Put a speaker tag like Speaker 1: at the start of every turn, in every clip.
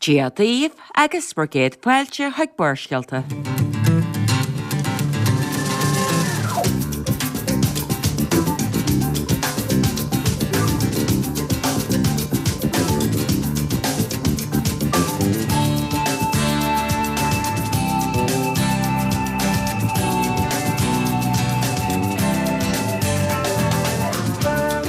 Speaker 1: Dia daoibh agus bhur gcéad fáilte chuig Barrscéalta.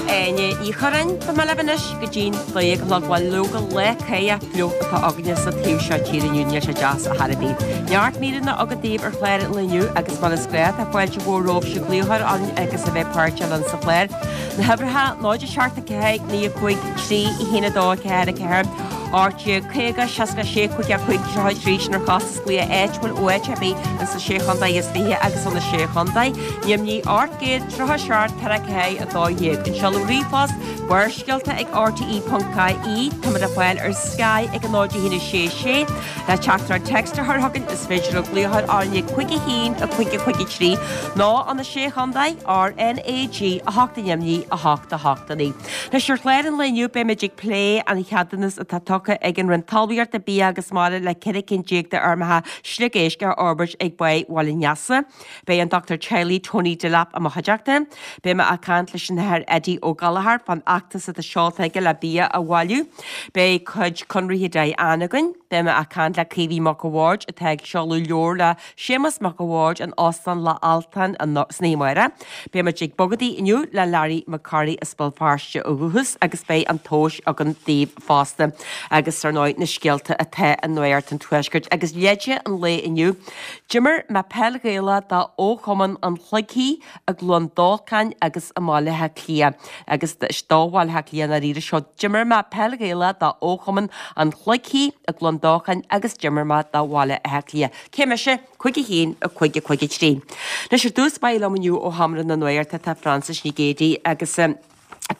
Speaker 1: Áine Ní Churráin, Beidh mé libh anois go dtí'n 12 a chlog. Bhuel, leoga, lá cáidheach fliuch atá againne sa taobh seo tíre inniu, níl sé deas ar chor ar bith. Neart míreanna againn daoibh ar chlár an lae inniu agus mar is gnáth tá fáilte mhór romhaibhse glaoch a chur orainn agus a bheith páirteach linn sa chlár. Na huimhreacha, 0 7 4 9 5 3 1 2 4 4 18 50 66 55 33 sin ar chostas glaoch áitiúil ó áit ar bith ins na Sé Chontae is Fiche agus ó na Sé Chontae. Neamhní 837 4 4 12. An seoladh ríomhphost, Barrscéalta ag rte.ie Táimid le fáil ar Sky ag 0 1 6 6. Le teachtaireacht text a chur chugainn is féidir libh glaoch a chur orainn ag 5 1 5 5 3 nó ó na Sé Chontae, RnaG 8 neamhní 8 8 9. Anois ar chlár an lae inniu beimid ag plé an cheadúnas atá tugtha ag an Roinn Talmhaíochta, Bia agus Mara le 14 cinn de fheirmeacha sliogéisc a fhorbairt ag Báigh Bhaile an Easa. Beidh an Dochtúir Teaghlaigh Tony Delap i mo chuideachta. Beidh mé ag caint leis an Athair Eddie Ó Gallchóir fán fheachtas atá seolta aige le bia a bhailiú. Beidh cuid Conraithe Diane againn. Beidh mé ag caint le Caoimhín Mac a' Bhaird atá ag seoladh leabhar le Séamus Mac a' Bhaird in Óstán Loch Altáin san oíche amárach. Beidh muid ag bogadaí inniu le Larry Mac Corraidh as Béal Feirste ó dhúchas agus beidh an tomhas againn daoibh fosta agus ar ndóigh na scéalta atá i Nuacht an Tuaiscirt agus leide an lae inniu. D'imir mé peil Ghaelach do fhochumann an Chloigthí i gCluain Dolcáin agus i mBaile Átha Cliath agus do Bhaile Átha Cliath i ndáiríre seo. D'imir mé peil Ghaelach do fhochumann an Chloigthí i gCluain Dolcáin agus d'imir mé do Bhaile Átha Cliath. Cé mise? 5 1 5 5 3. Anois ar dtús báire liom inniu ó Sheomra na Nuachta tá Frances Nic Géadaigh agus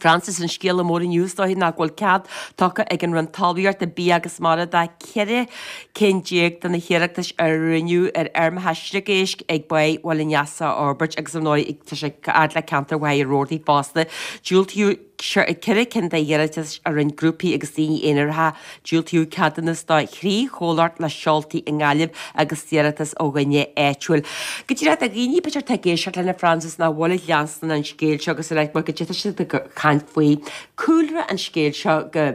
Speaker 1: Frances, an scéala mór inniu is dóiche ná go bhfuil cead tugtha ag an Roinn Talmhaíochta, Bia agus Mara do 14 cinn de na hiarratais a rinneadh ar fheirmeacha sliogéisc ag Báigh Bhaile an Easa a fhorbairt agus ar ndóigh tá sé fhad le ceantar Mhachaire Rabhartaigh fosta. Diúltaíodh 4 cinn de iarratais a rinne grúpaí agus daoine aonaracha. Diúltaíodh ceadúnas do thrí chomhlacht le seoltaí i nGaillimh agus d'iarratas ó dhuine áitiúil. Go díreach do dhaoine b'fhéidir atá ag éisteacht linn a Frances nach bhfuil ag leanstan an scéil seo agus ar mar go dté siad ag caint faoi cúlra an scéil seo go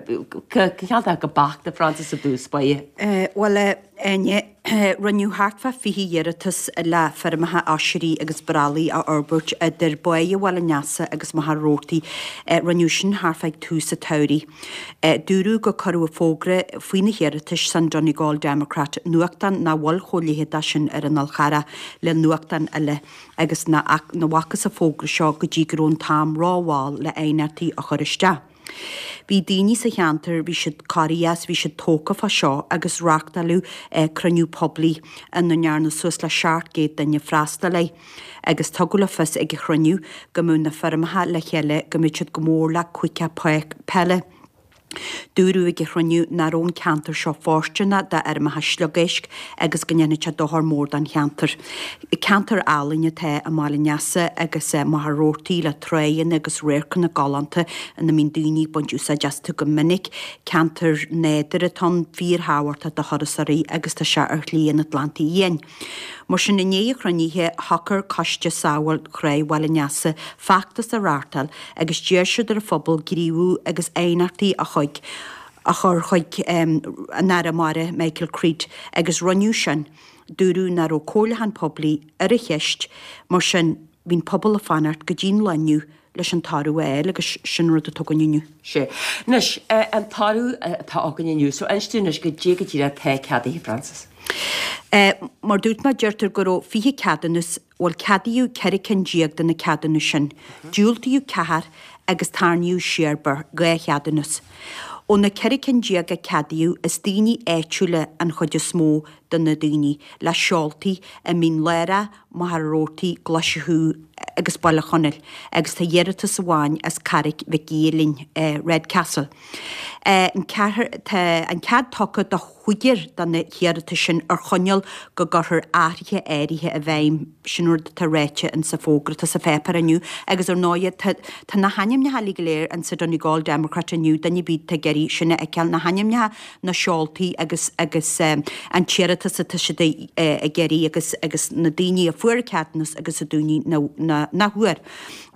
Speaker 1: go go beacht a Frances i dtús báire.
Speaker 2: Bhuel, a Áine, Rinneadh thart fá 20 iarratas le feirmeacha oisrí agus brollaigh a fhorbairt idir Báigh Bhaile an Easa agus Machaire Rabhartaigh. Rinneadh sin thart fá ag tús an tsamhraidh. Dúradh gur cuireadh fógra faoi na hiarratais san Donegal Democrat, nuachtán nach bhfuil chomh leitheadach sin ar an Fhál Charrach le nuachtáin eile, agus nach bhfacthas an fógra seo go dtí go raibh an t-am rómhall le aighneachtaí a chur isteach. Bhí daoine sa cheantar, bhí siad corraithe as, bhí siad tógtha fá seo agus reáchtáileadh cruinniú poiblí ina ndearna suas le 700 duine freastal air agus tugadh le fios ag an chruinniú go mbeadh na feirmeacha le chéile, go mbeadh siad go mór le cúige peile. Dúradh ag an chruinniú nach raibh an ceantar seo fóirsteanach d'fheirmeacha sliogéisc agus go ndéanfadh sé dochar mór don cheantar. Ceantar álainn atá i mBaile an Easa agus Machaire Rabhartaigh le tráigheanna agus radharcanna galánta ina mbíonn daoine ag baint úsáid astu go minic. Ceantar nádúrtha atá ann, fíorthábhachtach do thurasóirí agus tá sé ar Shlí an Atlantaigh Fhiáin. Mar sin, i ndiaidh an chruinnithe, shocair Coiste Sábháil Thráigh Bhaile an Easa feachtas a reáchtáil agus d'iarr siad ar an phobal gníomhú agus aighneachtaí a chuig a chur chuig an Aire Mara, Michael Creed, agus rinneadh sin. Dúradh nach raibh comhairliúchán poiblí ar an cheist, mar sin bhí an pobal ag fanacht go dtí'n lá inniu leis an toradh a fháil agus sin rud atá againn inniu.
Speaker 1: Sea. Anois, an toradh atá againn inniu, so inis dúinn anois goidé go díreach atá ceadaithe, Frances.
Speaker 2: Mar dúirt mé, deirtear go raibh 20 ceadúnas, bhuel ceadaíodh 14 cinn de na ceadúnais sin, diúltaíodh ceathair agus tarraingíodh siar 2 cheadúnas. Ó na 14 cinn a ceadaíodh, is daoine áitiúla an chuid is mó. do na daoine le seoltaí i Mín Lárach, Machaire Rabhartaigh, Glaise Chú agus Baile Chonaill agus tá iarratas amháin as Carraic Mhic Aoidh Redcastle. An ceathair, tá an cead tugtha do chúigear de na hiarratais sin ar choinníoll go gcuirfear athruithe áirithe i bhfeidhm, sin rud atá ráite insa fógra atá sa pháipéar inniu agus ar ndóighe tá tá na hainmneacha uilig go léir insa Donegal Democrat inniu, duine ar bith atá ag iarraidh sin a fheiceáil, na hainmneacha, na seoltaí agus agus an t-iarratas atá siad ag iarraidh agus agus na daoine a fuair ceadúnas agus na daoine nach bhfuair.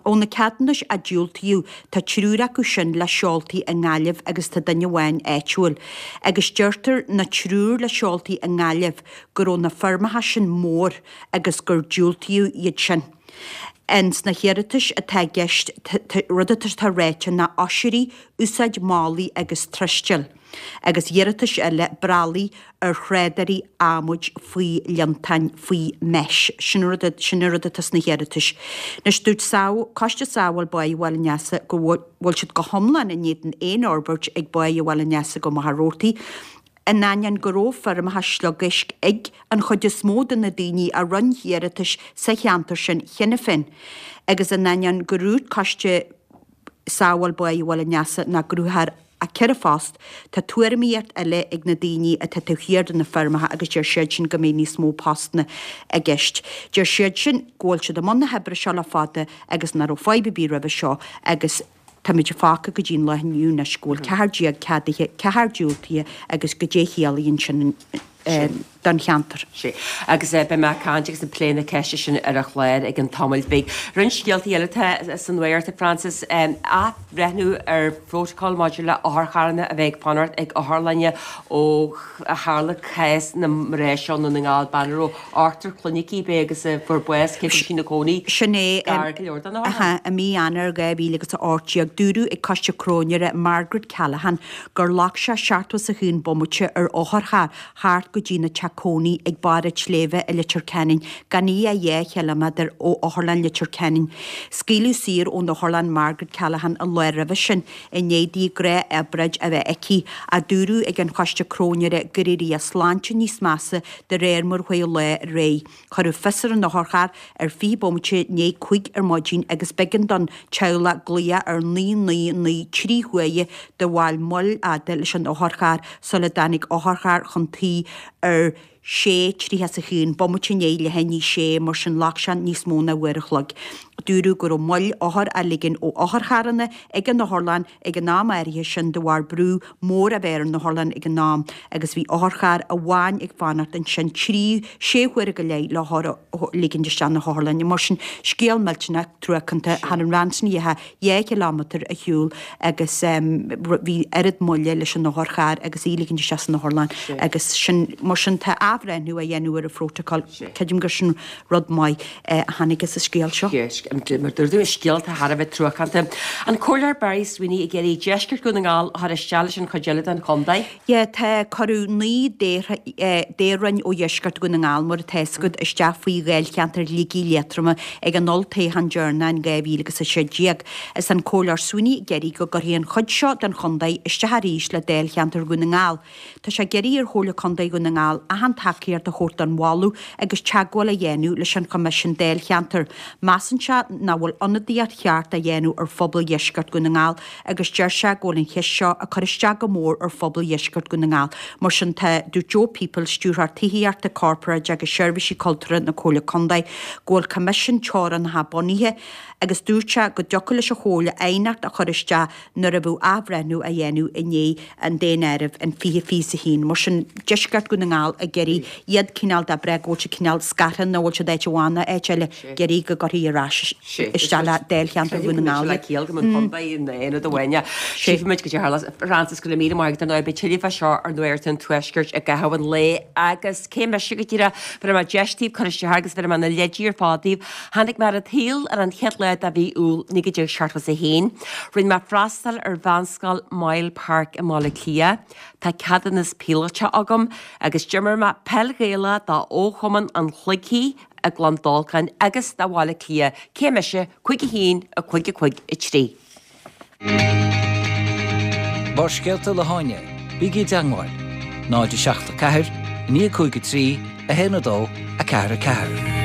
Speaker 2: Ó na ceadúnais a diúltaíodh, tá triúr acu sin le seoltaí i nGaillimh agus tá duine amháin áitiúil. Agus deirtear na triúr le seoltaí i nGaillimh go raibh na feirmeacha sin mór agus gur diúltaíodh iad sin. Ins na hiarratais atá i gceist, rud atá ráite ná oisrí, úsáid málaí agus truistil. agus iarratais eile brolaí ar thrádairí adhmaid faoi líontáin faoi mesh. Sin an rud, sin an rud atá sna hiarratais. Anois dúirt Sábh, Coiste Sábháil Báighe Bhaile an Easa go bhfuil siad go hiomlán in éadan aon fhorbairt ag Báighe Bhaile an Easa go Machaire Rabhartaigh, in ainneoin go raibh feirmeacha sliogéisc ag an chuid is mó de na daoine a rinne iarratais sa cheantar sin cheana féin, agus in ainneoin gur dhúirt Coiste Sábháil Báighe Bhaile an Easa nach gcruthófar ach 4 phost. Tá tuairimíocht eile ag na daoine atá taobh thiar de na feirmeacha agus deir siad sin go mbeidh níos mó postanna i gceist. Deir siad sin go bhfuil siad i mbun na hoibre seo le fada agus nach raibh fadhb ar bith roimhe seo agus táimid fágtha go dtí an lá inniu anois go bhfuil 14 ceadaithe, 4 diúltaithe agus goidé a chiallaíonn sin don cheantar.
Speaker 1: Sea. Agus beidh mé ag caint agus ag plé na ceiste sin ar an chlár i gcionn tamaill bhig. Roinnt scéaltaí eile atá sa nuacht, a Frances. Athbhreithniú ar phrótacal maidir le otharcharranna a bheith ag fanacht ag otharlanna ó tharla cás na mná seo i nDún na nGall, bean a raibh ochtar clainne aici, ab é agus a fuair bás cé go raibh sí ina cónaí
Speaker 2: Sin é.
Speaker 1: gar go leor don otharlann.
Speaker 2: I mí Eanáir 2018, dúradh ag Coiste Cróinéara Margaret Callaghan gur ghlac sé 71 bomaite ar otharcharr thart go dtína teach cónaí ag barr an tsléibhe i Leitir Ceanainn, gan í ach 2 chiliméadar ó Otharlann Leitir Ceanainn. Scaoileadh saor ón otharlann Margaret Callaghan an lá roimhe sin, i ndiaidh di gnáthobráid a bheith aici, ach dúradh ag an Choiste Cróinéara gur éirigh a sláinte níos measa de réir mar a chuaigh an lá ar aghaidh. Cuireadh fios ar an otharcharr ar 20 bomaite i ndiaidh 5 ar maidin agus b'éigean don teaghlach glaoch ar 999 3 huaire de bharr moill fhada leis an otharcharr sula dtáinig otharcharr chun tí ar 6:31, bomaite i ndiaidh leath i ndiaidh sé, mar sin ghlac sé níos mó ná uair a chloig. Dúradh go raibh moill othar á ligean ó otharcharranna ag an otharlann ag an am áirithe sin de bharr brú mór a bheith ar an otharlann ag an am agus bhí otharcharr amháin ag fanacht ansin 3, 6 huaire go leith le hothar a ligint isteach na hotharlainne. Mar sin, scéal millteanach truacánta thar an bhean sin a dheachaigh 2 chileámetar a shiúl agus bhí oiread moille leis an otharcharr agus í a ligint isteach san otharlann agus sin, mar sin tá athbhreithniú á dhéanamh ar an phrótacal. Creidim gur sin rud maith a tháinig as an scéal seo.
Speaker 1: Mar dúirt tú, scéal atá thar a bheith truacánta. An Comhairleoir Barry Sweeney ag iarraidh deisceart Dhún na nGall a chur isteach leis an chuid eile den chontae.
Speaker 2: Yeah, tá, cuireadh 9 dtoghroinn ó dheisceart Dhún na nGall, mar atá fhios agat, isteach faoi dháilcheantar Shligigh Liatroma ag an olltoghchán deireanach in 2016. Is an Comhairleoir Sweeney ag iarraidh go gcuirfí an chuid seo den chontae isteach arís le dáilcheantar Dhún na nGall. Tá sé ag iarraidh ar Chomhairle Contae Dhún na nGall achan tacaíocht a thabhairt don mholadh agus teagmháil a dhéanamh leis an Choimisiún Dáilcheantair. Measann sé nach bhfuil ionadaíocht cheart á dhéanamh ar phobal dheisceart Dhún na nGall agus deir sé go bhfuil an cheist seo ag cur isteach go mór ar phobal dheisceart Dhún na nGall. Mar sin tá, dúirt Joe Peoples, Stiúrthóir Tithíochta, Corparáide agus Seirbhísí Cultúrtha na Comhairle Contae, go bhfuil Coimisiún Teorainneacha bunaithe agus dúirt sé go dtiocfadh leis an Chomhairle aighneacht a chur isteach nuair a bheadh athbhreithniú á dhéanamh i ndiaidh an daonáirimh in 2021. Mar sin, deisceart Dhún na nGall ag iarraidh iad cineál de breith go bhfuil siad cineál scartha nó bhfuil siad áit amháin nó áit eile, ag iarraidh go gcuirfí ar ais isteach le dáilcheantar Dhún na nGall
Speaker 1: iad. Ciall go mbeadh an contae in aonad amháin. Tchífimid goidé a tharlós. Frances, go raibh míle maith agat ar ndóigh. Beidh tuilleadh fá seo ar Nuacht an Tuaiscirt i gcaitheamh an lae agus cé mise go díreach, bhéarfaidh mé deis daoibh cur isteach agus bhéarfaidh mé na leidí ar fad daoibh. Tháinig mé ar an tsaol ar an chéad lá de mhí Iúil 1971. Rinne mé freastal ar mheánscoil Moyle Park i mBaile Átha Cliath. Tá ceadúnas píolóta agam agus d'imir mé peil Ghaelach do fhochumann an Chloigthí i gClann Dolcáin agus do Bhaile Átha Cliath. Cé mise? 5 1 5 5 3.
Speaker 3: Barrscéalta le hÁine, bígí i dteangmháil, 0 7 4. 9 5 3 1 2 4 4.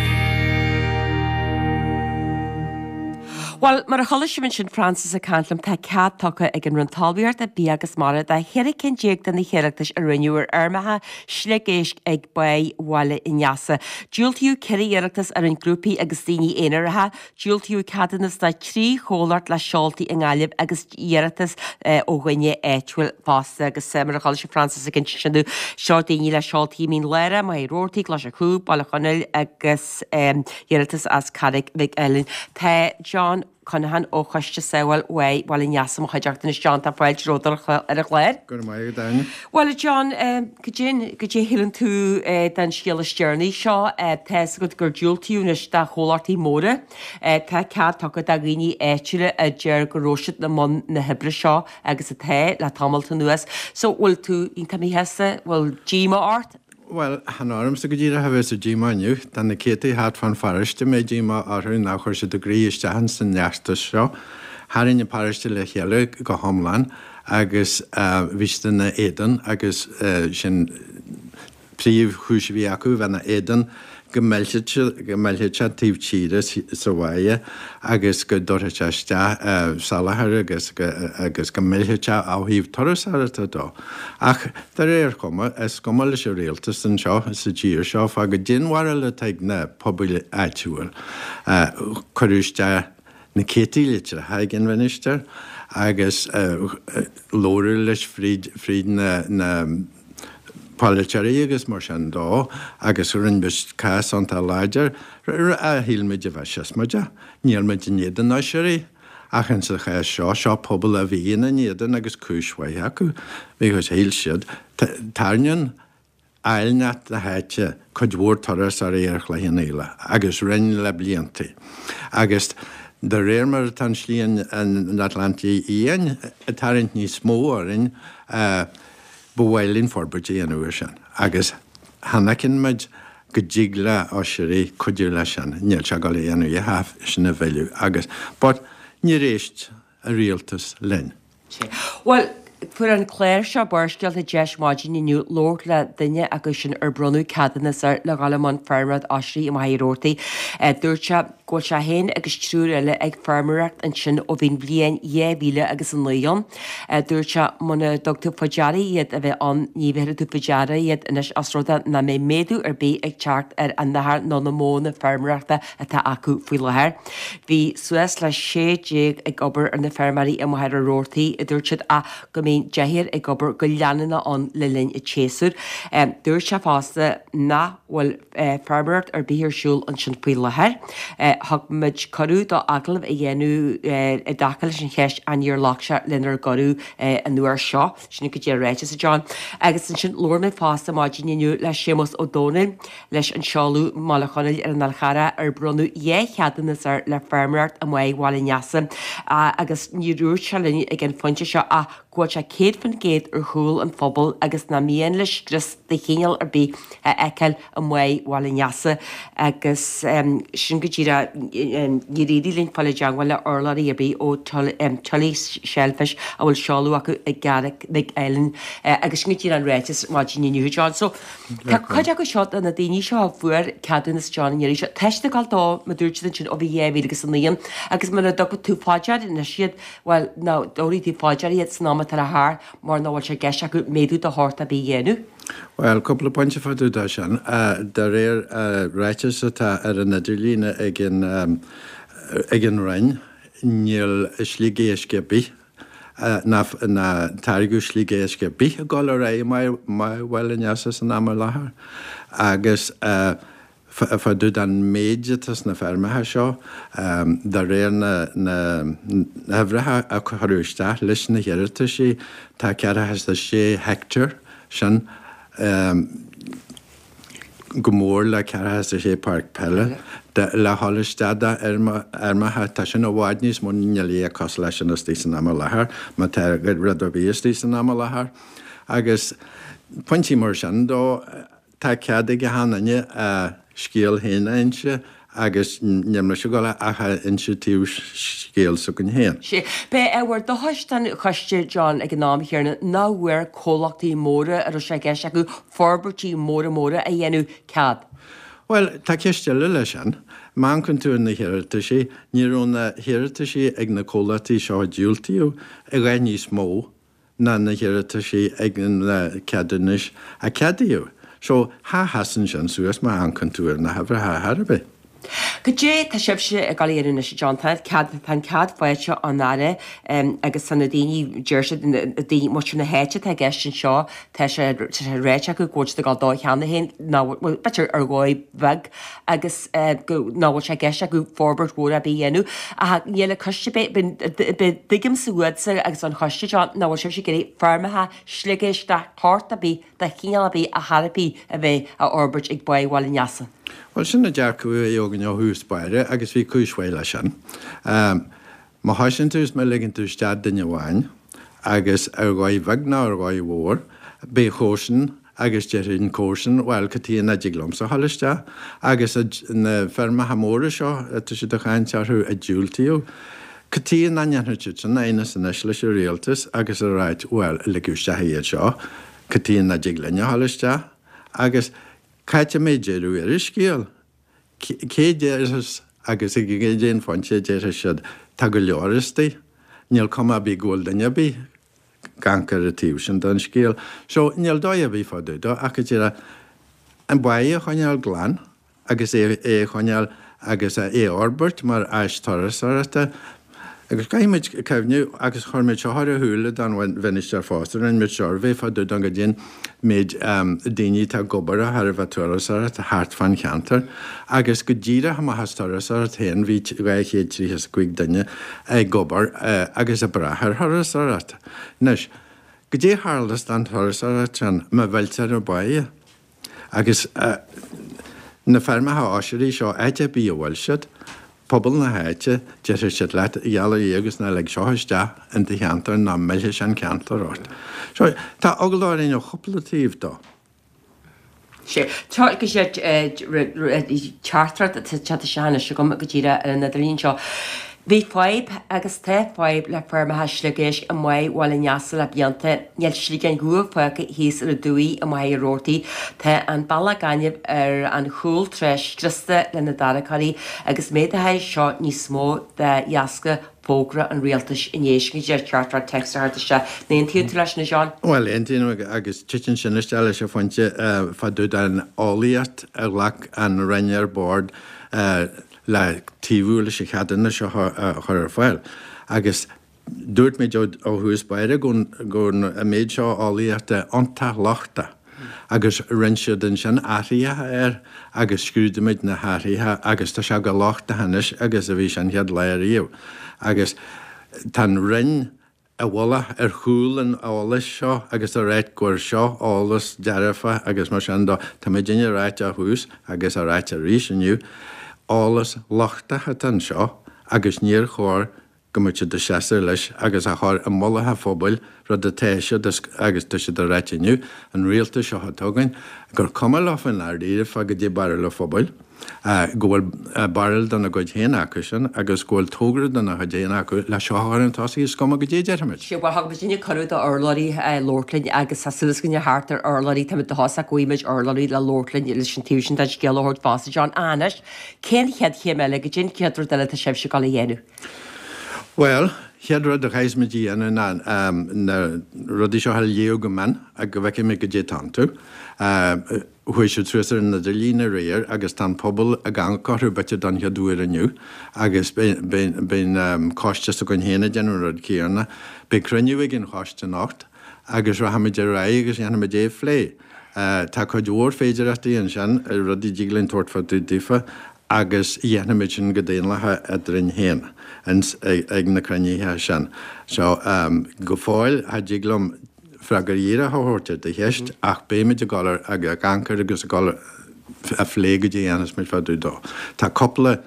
Speaker 1: Bhuel, mar a chuala sibh ansin Francis ag caint liom, tá cead tugtha ag an Roinn Talmhaíochta, Bia agus Mara do cheithre cinn déag de na hiarratais a rinneadh ar fheirmeacha sliogéisc ag Báigh Bhaile an Easa. Diúltaíodh 4 iarratas a rinne grúpaí agus daoine aonaracha. Diúltaíodh ceadúnas do thrí chomhlacht le seoltaí i nGaillimh agus iarratas ó dhuine áitiúil fosta. Agus mar a chuala sibh Francis ag insint sin dúinn, seo daoine le seoltaí i Mín Lárach, Machaire Rabhartaigh, Cois an Chúib, Baile Chonaill agus iarratas as Carraig Mhic Ailín. Tá John Conaghan ó Choiste Sábháil Bháigh Bhaile an Easa i mo chuideachta anois. John, tá fáilte romhat ar an chlár.
Speaker 4: Go raibh maith agat, Áine.
Speaker 1: Bhuel, a John, cad é, cad é a shíleann tú den scéal is deireanaí seo? Tá fhios agat gur diúltaíodh anois do chomhlachtaí móra. Tá cead tugtha do dhaoine áitiúla a deir go raibh siad i mbun na hoibre seo agus atá le tamalt anuas. So, bhfuil tú iontach míshásta? Bhfuil díomá ort?
Speaker 4: Bhuel, chan ormsa go díreach a bheas an díomá inniu. Tá na céadtaí thart fán pharóiste a mbeidh díomá orthu nár chuir siad a gcroí isteach ins an fheachtas seo. Tharraing an paróiste le chéile go hiomlán agus bhí siad ina éadan agus sin príomhchúis a bhí acu, bheith ina éadan go millfeadh go millfeadh sé taobh tíre sa bháighe agus go dtabharfadh sé isteach salachar agus agus go millfeadh sé ó thaobh turasóireachta dó. Ach de réir chuma, is cuma leis an rialtas anseo sa tír seo fá goidé an bharúil atá ag na pobail áitiúil. Cuireadh isteach na céadtaí litreacha ag an mhinistir agus labhradh leis fríd fríd na na polaiteoirí agus mar sin dó agus rinne muid cás iontach láidir a shíl muid a bheith siosmaideach. Níl muid in éadan oisrí ach in sa chás seo, seo pobal a bhí ina n-éadan agus cúis mhaith acu because shíl siad, tarraingíonn áilneacht na háite cuid mhór turasóirí ar Chloich Cheann Fhaola agus rinne le blianta agus de réir mar atá an Slí an Atlantaigh Fhiáin ag tarraingt níos mó orainn, Ba mhaith linn forbairt a dhéanamh ar sin agus chan fheiceann muid go dtig le oisrí cuidiú leis sin. Níl sé ag dul a dhéanamh a dhath sin a mhilleadh agus, but níor éist an rialtas linn.
Speaker 1: Bhuel, fuair an clár seo Barrscéalta deis maidin inniu labhairt le duine acu sin ar bronnadh ceadúnas air le dhul i mbun feirmeoireacht oisrí i Machaire Rabhartaigh. Dúirt sé go bhfuil sé féin agus triúr eile ag feirmeoireacht ansin ó bhí an bhliain 2000 agus 9 ann. Dúirt sé muna dtug tú faoi deara iad a bheith ann, ní bhéarfaidh tú faoi deara iad anois os rud é nach mbeidh méadú ar bith ag teacht ar an achar nó na modhanna feirmeoireachta atá acu faoi láthair. Bhí suas le 16 ag obair ar na feirmeoirí i Machaire Rabhartaigh, a dúirt siad, ach go mbíonn deichniúr ag obair go leanúnach ann le linn an tséasúir. Dúirt sé fosta nach bhfuil feirmeoireacht ar bith ar siúl ansin faoi láthair. Thug muid cuireadh dó agallamh a dhéanamh i dtaca leis an cheist ach níor ghlac sé lenár gcuireadh an uair seo. Sin go dtí an ráiteas, a John. Agus ansin labhair mé fosta maidin inniu le Séamus Ó Domhnaill leis an seoladh i mBaile Chonaill ar an Fhál Charrach ar bronnadh 2 cheadúnas air le feirmeoireacht i mBáigh Bhaile an Easa agus níor dhúirt sé linn ag an phointe seo ach go bhfuil sé 100% ar chúl an phobail agus nach mian leis scrios de chineál ar bith a fheiceáil i mBáigh Bhaile an Easa agus sin go díreach níor éirigh linn fáil i dteangmháil le urlabhraí ar bith ó Tully Shellfish a bhfuil seoladh acu i gCarraig Mhic Ailín agus sin go díreach an ráiteas maidin inniu John. So tá cuid acu seo de na daoine seo a fuair ceadúnas John an iarraidh seo tá siad ag gabháil dó mar dúirt siad ansin ó bhí 2009 agus muna dtugann tú fá dear anois iad Bhuel, ná tabharfaidh tú fá dear iad san am atá le theacht mar nach bhfuil sé i gceist acu méadú de shórt ar bith a dhéanamh.
Speaker 4: Bhuel, cúpla pointe fá dtaobh de sin. De réir ráiteas atá ar an idirlíon ag an ag an Roinn, níl sliogéisc ar bith ná ná táirgeadh sliogéisc ar bith ag dul ar aghaidh i mBáigh Bhaile an Easa san am i láthair agus Fá dtaobh den méid atá sna feirmeacha seo, de réir na n-uimhreacha a cuireadh isteach leis na hiarrataisí, tá 46 heicteár, sin go mór le 46 páirc peile, le dhul isteach d'fheirmeacha. Tá sin i bhfad níos mó, níl a dhath cosúil leis sin istigh san am i láthair, má tá rud ar bith istigh san am i láthair. Agus pointí mar sin dó. Tá cead ag achan duine a scéal féin a inse. Agus níl mise ag dul ach a inse taobh scéil s'againn féin.
Speaker 1: Sea. B'é ábhar dóchais don choiste, John, ag an am chéanna, nach bhfuair comhlachtaí móra a raibh sé i gceist acu forbairtí móra móra a dhéanamh cead.
Speaker 4: Bhuel, tá ceist eile leis sin. Má amharcann tú ar na hiarrataisí, ní raibh na hiarrataisí ag na comhlachtaí seo a diúltaíodh a dhath níos mó ná na hiarrataisí ag na ceadúnais a ceadaíodh. So, cha sheasann sin suas má amharcann tú ar na huimhreacha ar chor ar bith.
Speaker 1: Goidé tá sibhse ag dul a dhéanamh anois, a John? Tá an cead, tá an cead faighte ón Aire agus tá na daoine, deir siad, na daoine, muintir na háite atá i gceist anseo, tá sé, tá sé ráite acu go bhfuil siad ag dul dó cheana féin, ná, bhuel, b'fhéidir ar dhóigh bheag agus go, nach bhfuil sé i gceist acu forbairt mhór ar bith a dhéanamh. Ach níl an coiste, tuigimse uaitse agus ón choiste, John, nach bhfuil sibhse ag iarraidh feirmeacha sliogéisc de shórt ar bith, de chineál ar bith ar chor ar bith a bheith á fhorbairt ag Báigh Bhaile an Easa.
Speaker 4: Bhuel, sin an dearcadh a bhí againn ó thús báire agus bhí cúis mhaith leis sin. Má thosaíonn tú is má ligeann tú isteach duine amháin, agus ar dhóigh bheag nó ar dhóigh mhór, beidh comharsan agus déarfaidh an comharsan, bhuel, cad chuige nach dtig liomsa a dhul isteach? Agus na feirmeacha móra seo atá siad ag caint orthu a diúltaíodh, cad chuige nach ndéanfadh siad sin aighneas anois leis an rialtas agus a ráit, bhuel, ligeadh isteach iad seo, cad chuige nach dtig linne a dhul isteach? Agus cá háit a mbeidh deireadh ar an scéal? Cé déarfas agus ag cén phointe a déarfaidh siad, tá go leor istigh, níl cuma ar bith go bhfuil duine ar bith ag amharc ar an taobh sin den scéal. So, níl dóigh ar bith fá dtaobh dó ach go díreach an báigh a choinneáil glan agus é a choinneáil agus é a fhorbairt mar áis turasóireachta. Agus caithfidh muid cuimhneamh, agus chuir muid seo ar a shúile don mhinistear fosta, rinne muid suirbhé fá dtaobh don goidé an méid daoine atá ag obair de thairbhe turasóireacht thart fán cheantar. Agus go díreach amach as turasóireacht féin bhí 235 duine ag obair agus ag brath ar thurasóireacht. Anois, goidé a tharlós don turasóireacht sin má mhilltear an báighe? Agus na feirmeacha oisrí seo, áit ar bith a bhfuil siad, pobal na háite, déarfaidh siad leat, a gheall ar Dhia agus ná lig seo isteach in do cheantar ná millfidh sé an ceantar ort. So, tá eagla orainn ó chúpla taobh dó.
Speaker 1: Sea. Tá go sé teachtaireacht atá teacht isteach anois agam go díreach ar an idirlíon seo. Bhí fadhb, agus tá fadhb, le feirmeacha sliogéisc i mBáigh Bhaile an Easa le blianta. Níl sliogáin dhubha fágtha thíos ar an dumhaigh i Machaire Rabhartaigh. Tá an bealach gainimh ar an chúl trá scriosta le na tarracóirí agus méadaithe seo níos mó de dheasca fógra an rialtais inné. Sin go díreach teachtaireacht téacs a theacht isteach. An aontaíonn tú leis sin, a John?
Speaker 4: Bhuel, aontaím agus titeann sin isteach leis an phointe fá dtaobh den eolaíocht a ghlac an Roinn ar bord le taobhú leis an cheadúnas seo a chur ar fáil. Agus dúirt muid ó thús báire go raibh an méid seo eolaíochta iontach lochtach agus rinne siad ansin athruithe air agus scrúdaigh muid na hathruithe agus tá sé chomh lochtach anois agus a bhí sé an chéad lá ariamh. Agus tá an Roinn i bhfolach ar chúl an eolais seo agus ag ráit gur seo eolas dearfach agus mar sin dó. Tá muidinne ag ráit ó thús agus ag ráit arís inniu, eolas lochtach atá anseo agus níor chóir go mbeadh siad ag seasamh leis agus á chur i mullach an phobail, rud atá siad agus tá siad ag ráit inniu, an rialtas seo atá againn, gur cuma leo i ndáiríre fá goidé barúil an phobail. go bhfuil barúil dona gcuid féin acu sin agus go bhfuil togra dona chuid féin acu le seo a chur chun tosaigh, is cuma goidé a déarfaimid.
Speaker 1: Sea, bhuel, thug muidinne cuireadh do urlabhraí labhairt linn agus tá súil againne thart ar urlabhraí, táimid dóchasach go bhfaighidh muid urlabhraí le labhairt linn leis an taobh sin den scéal a thabhairt fosta, John. Anois, cén chéad chéim eile, goidé an chéad rud eile atá sibhse ag dul a dhéanamh?
Speaker 4: Bhuel, chéad rud a chaithfeas muid a dhéanamh ná na rudaí seo a léamh go mion go bhfeicfidh muid goidé atá iontu. Chuaigh siad suas ar an idirlíon aréir agus tá an pobal ag amharc orthu b'fhéidir don chéad uair inniu agus beidh an coiste s'againn féin ag déanamh an rud céanna. Beidh cruinniú ag an choiste anocht agus rachaimid ar aghaidh agus dhéanfaimid é a phlé. Tá cuid mhór féidireachtaí ansin, rudaí a dtig linn tabhairt fá dtaobh daofa agus dhéanfaimid sin go daonlathach eadrainn féin ag na cruinnithe sin. So, go fóill, cha dtig liom freagra díreach a thabhairt ar do cheist ach beimid ag dul ag amharc air agus ag dul a phlé goidé a dhéanfas muid fá dtaobh dó. Tá cúpla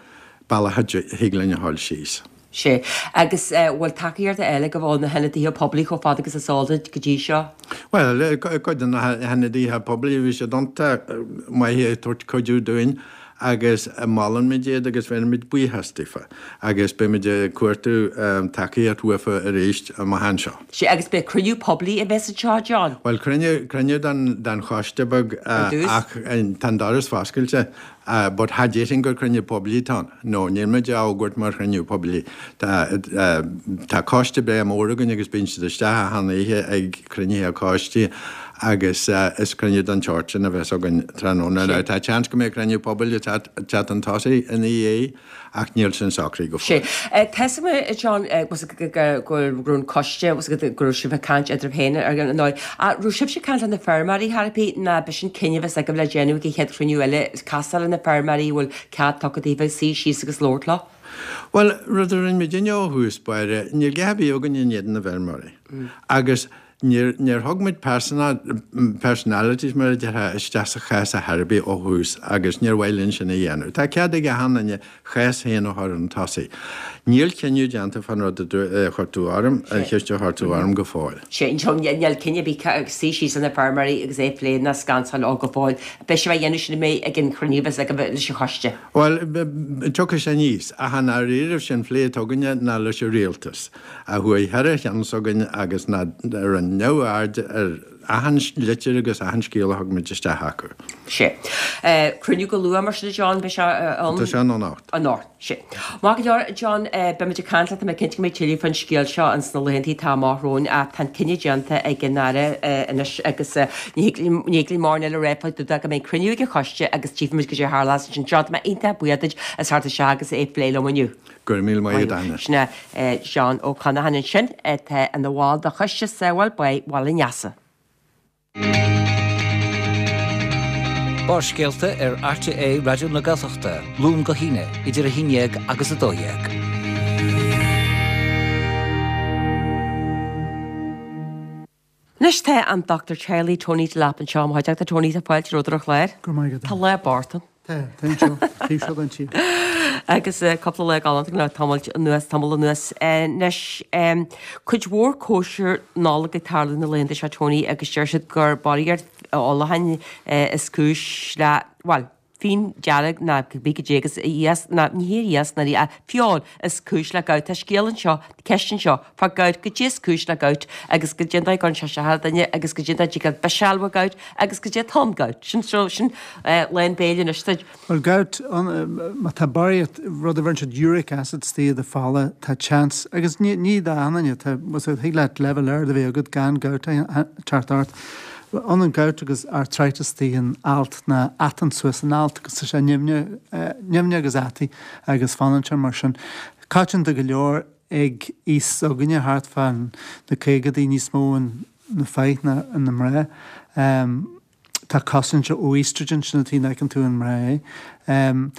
Speaker 4: bealach a thig linn a dhul síos.
Speaker 1: Sea. Agus bhfuil tacaíocht eile agaibh ó na hionadaithe poiblí chomh fada agus is eol duit go dtí seo?
Speaker 4: Bhuel, cuid de na hionadaithe poiblí, bhí siad iontach maith ag tabhairt cuidiú dúinn. agus molann muid iad agus bheirimid buíochas daofa agus beimid ag cuartú tacaíocht uafa arís amach anseo.
Speaker 1: Sea, agus beidh cruinniú poiblí a bheas anseo, John?
Speaker 4: Bhuel, cruinniú, cruinniú don, don choiste beag
Speaker 1: Ar dtús?
Speaker 4: ach tá an doras foscailte but cha déarfainn gur cruinniú poiblí atá ann. No, níl muid á fhógairt mar chruinniú poiblí. Tá, tá coiste breá mór againn agus bíonn siad isteach achan oíche ag cruinnithe coiste agus is cruinniú den tsórt sin a bheas againn tráthnóna. Now tá seans go mbeidh cruinniú pobail ag teacht chun tosaigh ina dhiaidh ach níl sin socraithe go
Speaker 1: fóill. Sea. Tá 'fhios agam, a John, go raibh an coiste, go raibh sibh ag caint eadraibh féin ar an ndóigh. Ach raibh sibhse ag caint le na feirmeoirí thar ar bith nó b'shin cinneadh a bheas agaibh le déanamh ag an chéad chruinniú eile, casáil le na feirmeoirí a bhfuil cead tugtha daoibh suí síos agus labhairt leo?
Speaker 4: Bhuel, rud a rinne muidinne ó thús báire, níl a dhath ar bith againn in éadan na bhfeirmeoirí. Agus níor, níor thug muid personalities, mar a déarfá, isteach sa chás ar chor ar bith ó thús agus níor mhaith linn sin a dhéanamh. Tá cead ag achan duine a chás féin a chur chun tosaigh. Níl cinneadh déanta fán rud a chuir tú orm, an cheist a chuir tú orm go fóill.
Speaker 1: Sea, níl cinneadh ar bith suí síos le na feirmeoirí agus é a phlé ná scansáil leo go fóill. Beidh sibh á dhéanamh sin ag an chruinniú a bheas agaibh leis an choiste.
Speaker 4: Bhuel, tiocfaidh sé aníos, ach i ndáiríribh sé'n phlé atá againne ná leis an rialtas, a chuaigh thar a cheann s'againn agus ná rinne neamhaird ar achan litir agus achan scéal a thug muid isteach acu.
Speaker 1: Sea. Cruinniú go luath mar sin a John, beidh sé ann?
Speaker 4: Tá sé ann anocht.
Speaker 1: Anocht. Sea. Maith go leor, John, beimid ag caint leat, tá mé cinnte go mbeidh tuilleadh fán scéal seo ins na laethanta atá amach romhainn ach tá an cinneadh déanta ag an Aire anois agus ní thig linn mórán eile a rá fá dtaobh de go mbeidh cruinniú ag an choiste agus tchífimid goidé a tharlós ansin. John, tá mé iontach buíoch duit as theacht isteach agus é a phlé liom inniu.
Speaker 4: Go raibh míle maith agat, Áine.
Speaker 1: Sin é John Ó Conacháin ansin atá ina bhall de Choiste Sábháil Báigh Bhaile an Easa.
Speaker 3: Barrscéalta ar RTÉ Raidió na Gaeltachta, Luan go hAoine, idir 11 agus 12.
Speaker 1: Anois tá an Dochtúir Teaghlaigh Tony Delap anseo i mo chuideachta. Tony, tá fáilte romhat ar an chlár.
Speaker 5: Go raibh maith agat.
Speaker 1: Tá lá bocht ann.
Speaker 5: Tá, tá anseo, taobh seo den tír.
Speaker 1: Agus cúpla lá galánta le tamall anuas, tamall anuas. Anois, cuid mhór cóisir Nollag ag tarlú na laethanta seo, Tony, agus deir siad gur barraíocht ólacháin is cúis le, bhuel, fíon dearg ná cibé goidé agus iasc, ná ní hé iasc ná ach feoil is cúis le gout. Tá scéal anseo, ceist anseo, fá gout, goidé is cúis le gout agus goidé an dóigh a gcuireann sé isteach ar dhuine agus goidé an dóigh a dtig leat biseáil ó gout agus goidé atá in gout. Sin, so, sin lán béil anois duit.
Speaker 5: Bhuel, gout, má tá barraíocht, rud a bheireann siad uric acid istigh i do fola, tá chance, agus ní, ní d'achan duine, tá, thig leat leibhéal ard a bheith agat gan gout a theacht ort. Ionann gout agus arthritis istigh in alt ná atann suas an alt agus tá sé nimhneach, nimhneach agus ataí agus fanann sé mar sin. Coitianta go leor ag aois s'againne thart fá na caogadaí níos mó na fir ná na mná. Tá cosaint ó estrogen, sin an tuige nach bhfeiceann tú in mná é.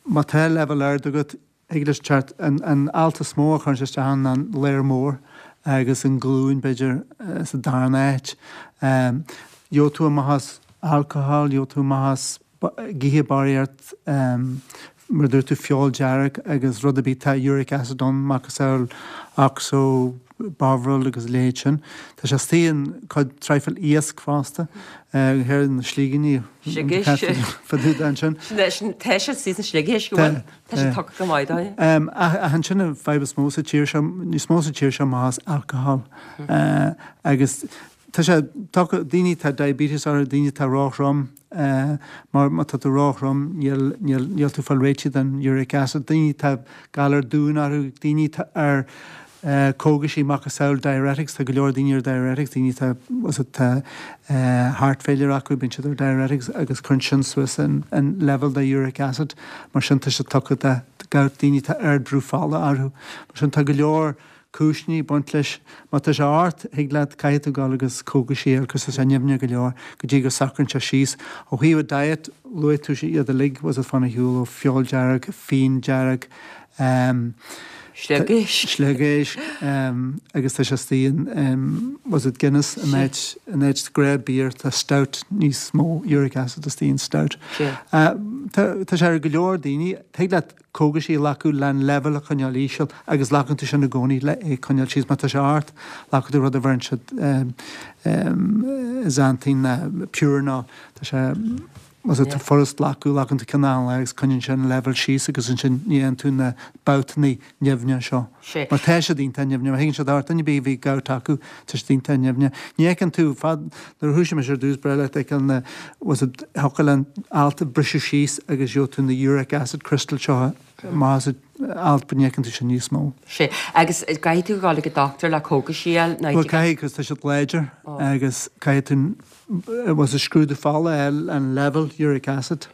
Speaker 5: Má tá leibhéal ard agat, Thig leis teacht, an alt is mó a chuireann sé isteach ann ná an ladhar mór agus an ghlúin, b'fhéidir, sa darna háit. Gheobhaidh tú amach as alcohol, gheobhaidh tú amach as ag ithe barraíocht, mar a dúirt tú, feoil dearg agus rud ar bith, tá uric acid ann, macasamhail oxo, Bovril agus a leithéid sin. Tá sé istigh in cuid traidhfil iasc fosta, go háirithe na slígíní fadúda
Speaker 1: ansin. Sin, tá sé istigh sna sliogéisc, an bhfuil? Tá sé tugtha go maith dóibh.
Speaker 5: Ach ansin an fadhb is mó sa tír seo, níos mó sa tír seo amach as alcohol. Agus tá sé tugtha, daoine atá diabetes orthu, daoine atá róthrom, mar má tá tú róthrom níl, níl, níl tú ag fáil réitithe den uric acid. Daoine atá galar dúin orthu, daoine atá ar cógaisí macasamhail diuretics, tá go leor daoine ar diuretics, daoine atá, atá heart failure acu, bíonn siad ar diuretics agus cuireann sin suas an, an level de uric acid, mar sin tá sé tugtha do gout, daoine atá ardbhrú fola orthu. Mar sin tá go leor cúiseanna ag baint leis. Má tá sé ort, thig leat, caithfidh tú dul agus cógaisí a fháil cos tá sé nimhneach go leor go dtí go socraíonn sé síos. Ó thaobh an diet, luaigh tú iad uilig, was it fána shiúl ó feoil dearg, fíon dearg,
Speaker 1: Sliogéisc.
Speaker 5: Sliogéisc agus tá sé istigh in was it Guinness in áit in áit gnáth beer tá stout níos mó uric acid istigh in stout. Tá tá sé ar go leor daoine thig leat cógaisí a ghlacadh le an leibhéal a choinneáil íseal agus glacann tú sin i gcónaí le é coinneáil síos má tá sé ort glacann tú rud a bheireann siad xanthine ná purinol tá sé. Más é furast glacadh, glacann tú ceann achan lá agus coinníonn sé an leibhéal síos agus ansin ní fhaigheann tú na babhtanna nimhneacha seo. Mar tá siad iontach nimhneach, má thagann siad ort, duine ar bith a bhí gout acu, tá siad iontach nimhneach. Ní fheiceann tú, fad, nuair a thoisigh mise ar dtús, ba bhreá leat feiceáil na, was it, thiocfadh le an alt a briseadh síos agus gheobhadh tú na uric acid crystal seo amach as an alt, but ní fheiceann tú sin níos mó.
Speaker 1: Sea. Agus caithfidh tú a ghabháil ag an dochtúir le cógaisí a fháil, nó.
Speaker 5: Bhuel caithfidh, cos tá siad láidir agus caithfidh tú, was it scrúdú fola a fháil an level uric acid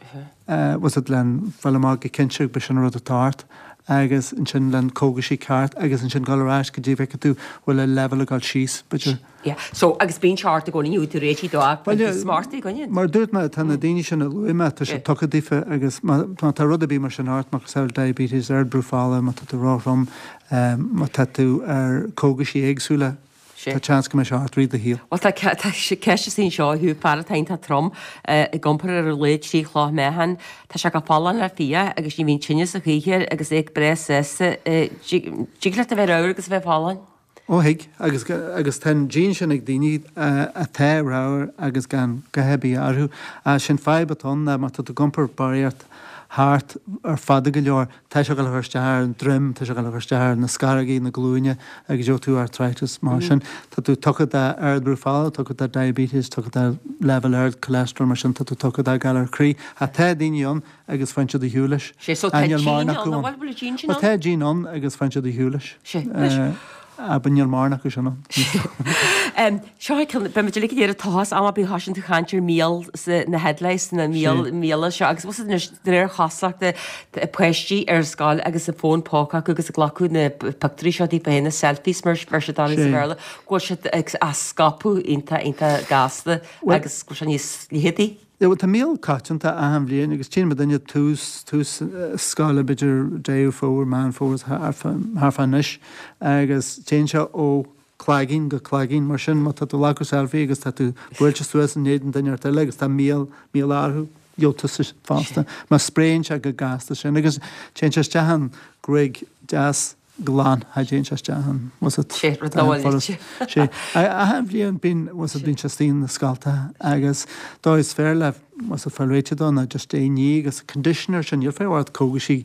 Speaker 5: was it len fáil amach go cinnte gurb sin an rud atá ort agus ansin len cógaisí ceart agus ansin dul ar ais go dtí bhfeicfidh tú bhfuil an level ag dul síos b'fhéidir.
Speaker 1: Yeah. So agus bíonn sé ort i gcónaí nó tú réitithe dó ach bíonn tú smart i gcoinne.
Speaker 5: Mar a dúirt mé tá na daoine sin a luaigh mé tá siad tugtha daofa agus má tá rud ar bith mar sin ort macasamhail diabetes, ardbhrú fola, má tá tú róthrom, má tá tú ar cógaisí éagsúla, Tá seans go mbeidh sé ort i rith do shaoil.
Speaker 1: Bhuel, tá ceist istigh anseo, a Hugh, fear atá iontach trom, ag iompar ar a laghad 3 chloch meáchain. Tá sé go folláin le fia agus ní bhíonn tinneas a choíche air agus é breá sásta. Dtig leat a bheith ramhar agus a bheith folláin?
Speaker 5: Ó thig, agus agus tá an gene sin ag daoine atá ramhar agus gan a dhath ar bith orthu. Ach sin fadhb atá ann ná má tá tú ag iompar barraíocht thart ar fada go leor, Tá sé ag dul a chur isteach ar an droim, tá sé ag dul a chur isteach ar na scarógaí, na glúine agus gheobhaidh tú arthritis mar sin. Tá tú tugtha d'ardbhrú fola, tugtha do diabetes, tugtha do leibhéal ard cholesterol mar sin tá tú tugtha do galar croí. Ach tá daoine ann agus faigheann siad ar shiúl leis.
Speaker 1: Sé, so tá gene ann, an bhfuil, bhfuil an gene sin
Speaker 5: ann? Bhuel tá gene ann agus faigheann siad ar shiúl leis.
Speaker 1: Sé, anois.
Speaker 5: But níl mórán acu sin
Speaker 1: ann. Seo é ceann, beidh muid uilig ag iarraidh tochas am ar bith a thosaíonn tú ag caint ar mhíol na headlice, na míol, míola seo agus bhfuil anois de réir chosúlachta páistí ar scoil agus an fón póca acu agus ag glacadh na pictiúirí seo daofa féin, na selfies mar a bheir siad orthu sa Bhéarla, go bhfuil siad ag á scaipeadh iontach iontach gasta agus go bhfuil sé níos leitheadaí.
Speaker 5: Yeah, bhuel tá míol coitianta achan bhliain agus tchíonn muid duine tús, tús scoile b'fhéidir Deireadh Fómhair, Meán Fómhair thart fá anois agus téann sé ó cloigeann go cloigeann mar sin má tá tú ag glacadh selfie agus tá tú buailte suas in éadan duine inteacht eile agus tá míol, míol orthu, gheobhaidh tusa fosta. Mar spréann sé go gasta sin agus téann sé isteach an gruaig deas glan, cha dtéann sé isteach ann, was it?
Speaker 1: Sé, rud nach bhfuil
Speaker 5: furast. Sé, achan bhliain bíonn, was it, bíonn sé istigh na scailte agus dóigh is fearr le, was it, fáil réitithe dó ná just é a ní agus conditioner sin, níl fadhb ort cógaisí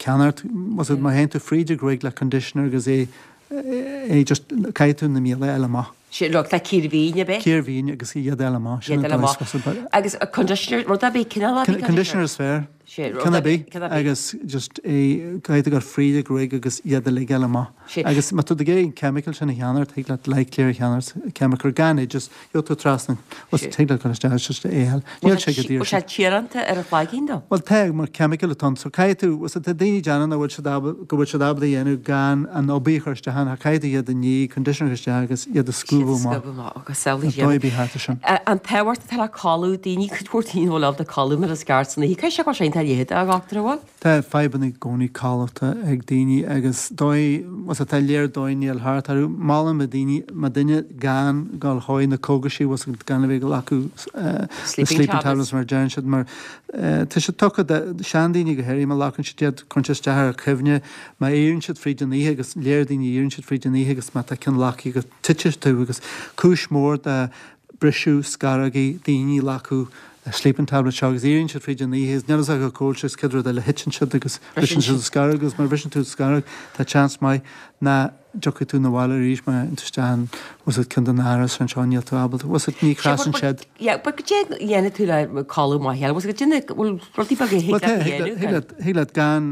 Speaker 5: ceannacht, was it, má théann tú fríd an ghruaig le conditioner agus é, é just, caithfidh tú na míola a fháil amach.
Speaker 1: Sé, look, tá cíor mhín, ab é?
Speaker 5: Cíor mhín agus iad a fháil amach,
Speaker 1: sin an dóigh is was it. Agus conditioner, rud ar bith, cineál ar
Speaker 5: bith conditioner? Conditioner is fearr. Ceann ar bith agus just é caithfidh tú dul fríd an ghruaig agus iad uilig a fháil amach. Agus má tá tú ag iarraidh an chemical sin a cheannacht, thig leat Lyclear a cheannacht, chemical gan é, just gheobhaidh tú trasna, bhuel thig leat dul isteach just é a fháil.
Speaker 1: Níl sé go daor sin. Bhfuil sé tíoránta ar an chloigeann
Speaker 5: dó? Bhuel tá, mar chemical atá ann. So caithfidh tú, bhuel tá daoine ag déanamh nach bhfuil siad ábalta, go bhfuil siad ábalta a dhéanamh gan an obair a chur isteach ann, ach caithfidh tú iad a ní, conditioner a chur isteach agus iad a scuabadh
Speaker 1: amach. Scuabadh amach agus samhlaigh
Speaker 5: An dóigh a bhí thart
Speaker 1: ar sin. An tábhacht atá le codladh, daoine, cuid mhór daoine nach bhfuil ábalta codladh mar is ceart san oíche. Caithfidh sé go bhfuil sé iontach leitheadach, a dhochtúir, an bhfuil?
Speaker 5: Tá fadhbanna i gcónaí codlata ag daoine agus dóigh, bhfuil tá léir dóigh níl thart orthu. Molaim do daoine, má duine gan dul chuig na cógaisí, bhfuil gan a bheith ag glacadh na
Speaker 1: sleeping
Speaker 5: tablets mar a deireann siad mar tá siad tugtha do seandaoine go háirithe má ghlacann siad iad cuireann sé isteach ar a cuimhne, má éiríonn siad fríd an oíche agus léir daoine éiríonn siad fríd an oíche agus má tá ceann glactha agat titeann tú agus cúis mór de briseadh scarógaí daoine ag glacadh sleeping tablet seo agus éiríonn siad fríd an oíche agus níl fhios acu cá bhfuil siad agus céad rud eile thiteann siad agus briseann siad an scaróg agus má bhriseann tú an scaróg tá seans maith nach dtiocfaidh tú 'na bhaile arís má théann tú isteach in bhfuil fhios agat ceann de na háras anseo níl tú ábalta bhfuil fhios agat ní chrasann siad.
Speaker 1: Yeah but goidé a dhéanfaidh tú le codladh maith a fháil bhfuil fhios agat déanamh bhfuil rudaí beaga a thig leat a dhéanamh
Speaker 5: Thig leat thig leat gan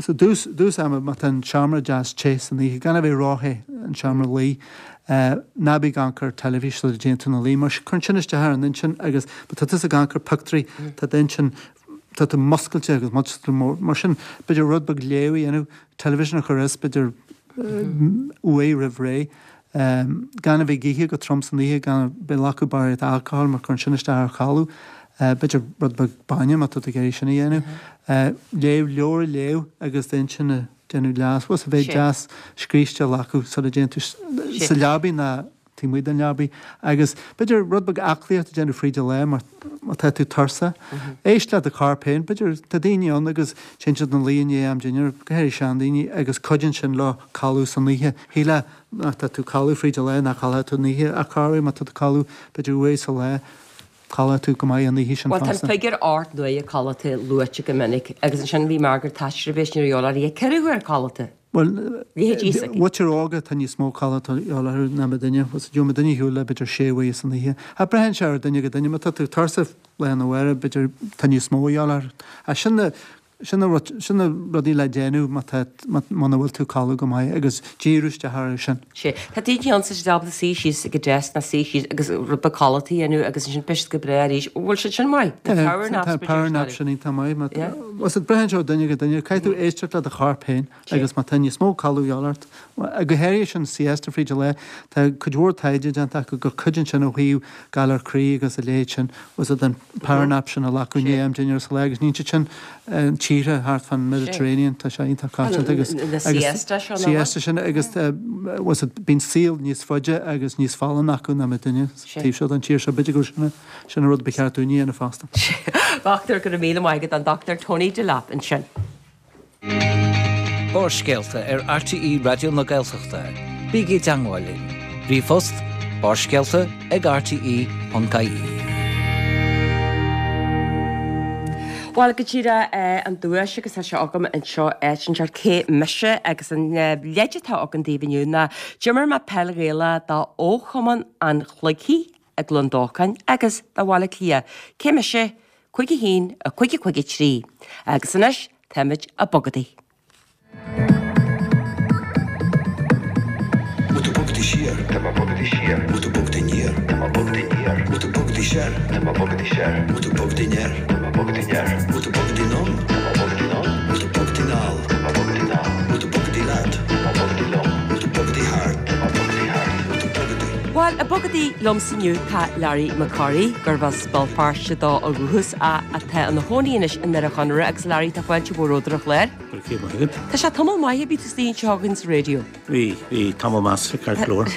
Speaker 5: sa dtús dtús ama má tá an seomra deas te san oíche gan a bheith ró-the an seomra luí Ná bí ag amharc ar teilifís sula dtéann tú 'na luí, mar cuireann sin isteach ar an intinn agus má tá tusa ag amharc ar pictiúirí, tá d'intinn, tá tú muscailte agus muscailte mór. Mar sin, b'fhéidir rud beag léamh a dhéanamh, television a chur as, b'fhéidir uair roimh ré, gan a bheith ag ithe go trom san oíche, gan a bheith ag glacadh barraíocht alcohol mar cuireann sin isteach ar chodladh, b'fhéidir rud beag bainne má tá tú ag iarraidh sin a dhéanamh, léamh, leabhar a léamh agus d'intinn a. déanamh deas, bhfuil fhios agat a bheith deas scríste a ghlacadh sula dtéann tú sa leabaidh ná taobh amuigh den leabaidh agus b'fhéidir rud beag aclaíocht a déanamh fríd an lá má má tá tú tuirseach. Éist le do chorp féin, b'fhéidir tá daoine ann agus téann siad 'na luí i ndiaidh am dinnéir, go háirithe seandaoine agus cuidíonn sin leo codladh san oíche. Shílfeá má tá tú codladh fríd an lá nach codlóidh tú san oíche ach corruair má tá tú codladh b'fhéidir uair sa lá. Codlóidh tú go maith an oíche sin
Speaker 1: Bhuel, tá an
Speaker 5: fosta.
Speaker 1: figiúr 8 n-uaire codlata luaite go minic agus ansin bhí Margaret Thatcher a bhí sin ar eolas uirthi, 4 huaire codlata.
Speaker 5: Bhuel,
Speaker 1: Leithéidí s'aici.
Speaker 5: mhuintir óga tá níos mó codlata a dhíobháil orthu ná muidinne. Bhuel, gheobhaidh muidinne ar shiúl le b'fhéidir sé uaire san oíche. Ach braitheann sé ar duine go duine. Má tá tú tuirseach lá arna mhárach, b'fhéidir tá níos mó a dhíobháil ort. Ach sin na, sin na rud, sin na rudaí le déanamh má tá, muna bhfuil tú ag codladh go maith agus díriú isteach orthu sin.
Speaker 1: Sea. Tá daoine ann tá siad ábalta suí síos ag an desk ná suí síos agus rud beag codlata a dhéanamh agus ansin beidh siad go breá arís. Bhfuil siad sin maith? Na power naps
Speaker 5: Tá power naps sin iontach maith.
Speaker 1: Yeah.
Speaker 5: Bhuel, braitheann sé ó duine go duine. Caithfidh tú éisteacht le do chorp féin agus má tá níos mó codladh a dhíobháil ort, go háirithe sin siesta fríd an lá, tá cuid mhór taighde déanta acu gur cuidíonn sin ó thaobh galar croí agus a leithéid sin. Bhuel, an power nap sin a ghlacadh i ndiaidh am dinnéir sa lá agus níonn siad sin tíortha thart fán Mediterranean, tá sé iontach coitianta agus
Speaker 1: Na siesta seo, nach bhfuil?
Speaker 5: siesta sin agus bhuel, bíonn saol níos faide agus níos folláine acu ná muidinne sa taobh seo den tír seo. B'fhéidir gur sin sin an rud ba cheart dúinne a dhéanamh fosta.
Speaker 1: Dochtúir, go raibh míle maith agat, an Dr Tony Delap ansin.
Speaker 3: Barrscéalta ar RTÉ Raidió na Gaeltachta. Bígí i dteangmháil linn. Ríomhphost, barrscéalta ag rte.ie.
Speaker 1: Bhuel, go díreach an duais agus tá sé agam anseo áit inteacht cé mise agus an leid atá agam daoibh inniu ná d'imir mé peil Ghaelach do fhochumann an Chloigthí i gCluain Dolcáin agus do Bhaile Átha Cliath. Cé mise? 5 1 5 5 3. Agus anois táimid ag bogadaí.
Speaker 6: Bhfuil tú bogadaí siar? Tá mé bogadaí siar. Bhfuil tú bogadaí aniar? Tá mé bogadaí aniar. Bhfuil tú bogadaí soir? Tá mé bogadaí soir. Bhfuil tú bogadaí anoir? Tá mé bogadaí anoir. Bhfuil tú bogadaí anonn? Tá mé bogadaí anonn. Bhfuil tú bogadaí anall? Tá mé bogadaí anall. Bhfuil tú bogadaí leat? Tá mé bogadaí liom. Bhfuil tú bogadaí thart? Tá mé bogadaí thart. Bhfuil tú bogadaí?
Speaker 1: Bhuel, ag bogadaí liomsa inniu tá Larry Mac Corraidh, gurb as Béal Feirste dó ó dhúchas ach atá ina chónaí anois i nDoire Chonaire agus Larry tá fáilte mhór romhat ar an chlár.
Speaker 7: Go raibh céad maith agat.
Speaker 1: Tá sé tamall maith ó bhí tú istigh anseo againn sa raidió.
Speaker 7: Bhí, bhí, tamall measartha ceart go leor.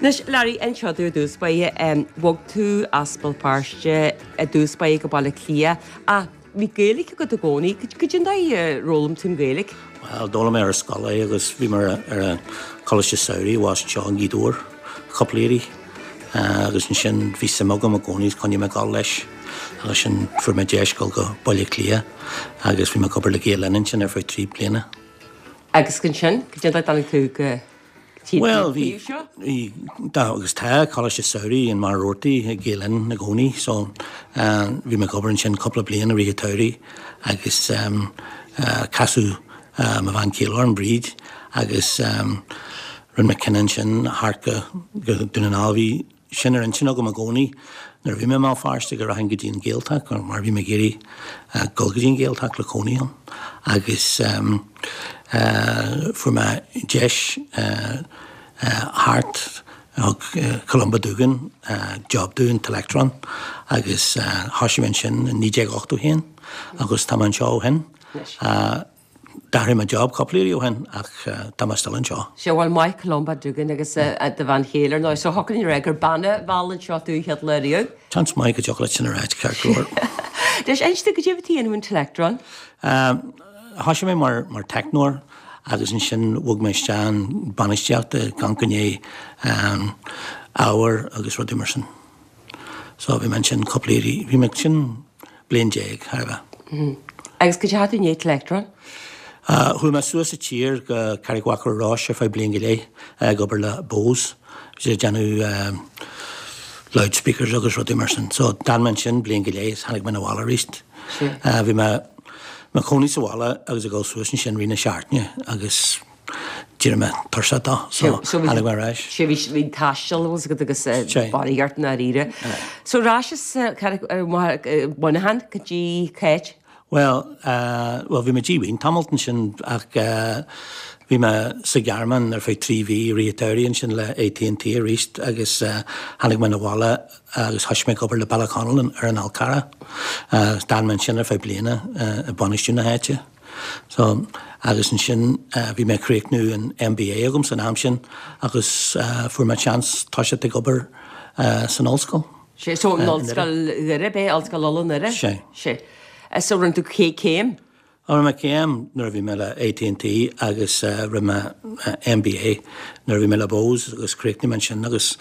Speaker 1: Anois Larry, inis domh ar dtús báire, bhog tú as Béal Feirste i dtús báire go Baile Átha Cliath ach bhí Gaeilge agat i gcónaí. Cad é an dóigh ar fhoghlaim tú an Ghaeilge?
Speaker 7: Bhuel, d'fhoghlaim mé ar an scoil é agus bhí mé ar an Choláiste Samhraidh abhus anseo i nGaoth Dobhair cúpla iarraidh agus ansin bhí suim agam i gcónaí is choinnigh mé ag dul leis agus sin fuair mé deis dul go Baile Átha Cliath agus bhí mé ag obair le Gael Linn ansin ar feadh 3 bliana.
Speaker 1: Agus ansin, cad é an dóigh a dtáinig tú go
Speaker 7: Bhuel, bhí, bhí, tá agus tá Coláiste Samhraidh in Machaire Rabhartaigh ag Gael Linn i gcónaí so bhí mé ag obair ansin cúpla bliain i rith an tsamhraidh agus casadh mo bhean chéile orm, Bríd, agus rinne mé cinneadh ansin theacht go, go Dún na nGall. Bhí sin ar intinn agam i gcónaí nuair a bhí mé i mBéal Feirste go rachainn go dtí an Ghaeltacht mar bhí mé ag iarraidh dul go dtí an Ghaeltacht le cónaí ann agus fuair mé deis theacht thug Columba Doogan job domh in Telectron agus thosaigh mé ansin i 1981 agus tá mé anseo ó shin. D'athraigh mé job cúpla iarraidh ó shin ach tá mé still anseo.
Speaker 1: Sea, bhuel, maith Columba Doogan agus do bhean chéile, ar ndóigh. So thiocfadh linn a rá gur bean a mheall anseo tú an chéad lá riamh.
Speaker 7: Seans maith go dtiocfadh leat sin a ráit, ceart go leor.
Speaker 1: Anois, inis domh, cad é a bhí tú a dhéanamh in Telectron?
Speaker 7: Thosaigh mé mar mar teicneoir agus ansin bhog mé isteach in bainistíocht ag amharc i ndiaidh ábhair agus rudaí mar sin. So bhí mé ansin cúpla iarraidh, bhí mé ansin bliain déag, chóir a
Speaker 1: bheith. Agus cad é a dhein tú i ndiaidh Telectron?
Speaker 7: Chuaigh mé suas sa tír go Carraig Mhachaire Rois ar feadh bliain go leith ag obair le Bose, bhí siad ag déanamh loudspeakers agus rudaí mar sin. So d'fhan mé ansin bliain go leith is tháinig mé 'na bhaile arís. Bhí mé mo chónaí sa bhaile agus ag dul suas ansin rith na seachtaine agus D'éirigh mé tuirseach dó, so tháinig mé ar ais.
Speaker 1: Sé bhí bhí taisteal agus agat agus barraíocht ort i ndáiríre. So ar ais as Muineachán go dtí cá háit?
Speaker 7: Bhuel, bhuel bhí mé díomhaoin tamalt ansin ach bhí mé sa Ghearmáin ar feadh 3 mhí i rith an tsamhraidh ansin le AT&T arís agus tháinig mé 'na bhaile agus thoisigh mé ag obair le Ballyconnell ar an Fhál Carrach. D'fhan mé ansin ar feadh bliana ag bainistiú na háite. So, agus ansin bhí mé ag críochnú an MBA agam san am sin agus fuair mé seans toiseacht ag obair san ollscoil.
Speaker 1: Sé, so an Ollscoil Dhoire, b'é Ollscoil Uladh i nDoire?
Speaker 7: Sé.
Speaker 1: Sé. So rinne tú céim?
Speaker 7: Rinne mé céim nuair a bhí mé le AT&T agus rinne mé MBA nuair a bhí mé le Bose agus chríochnaigh mé ansin agus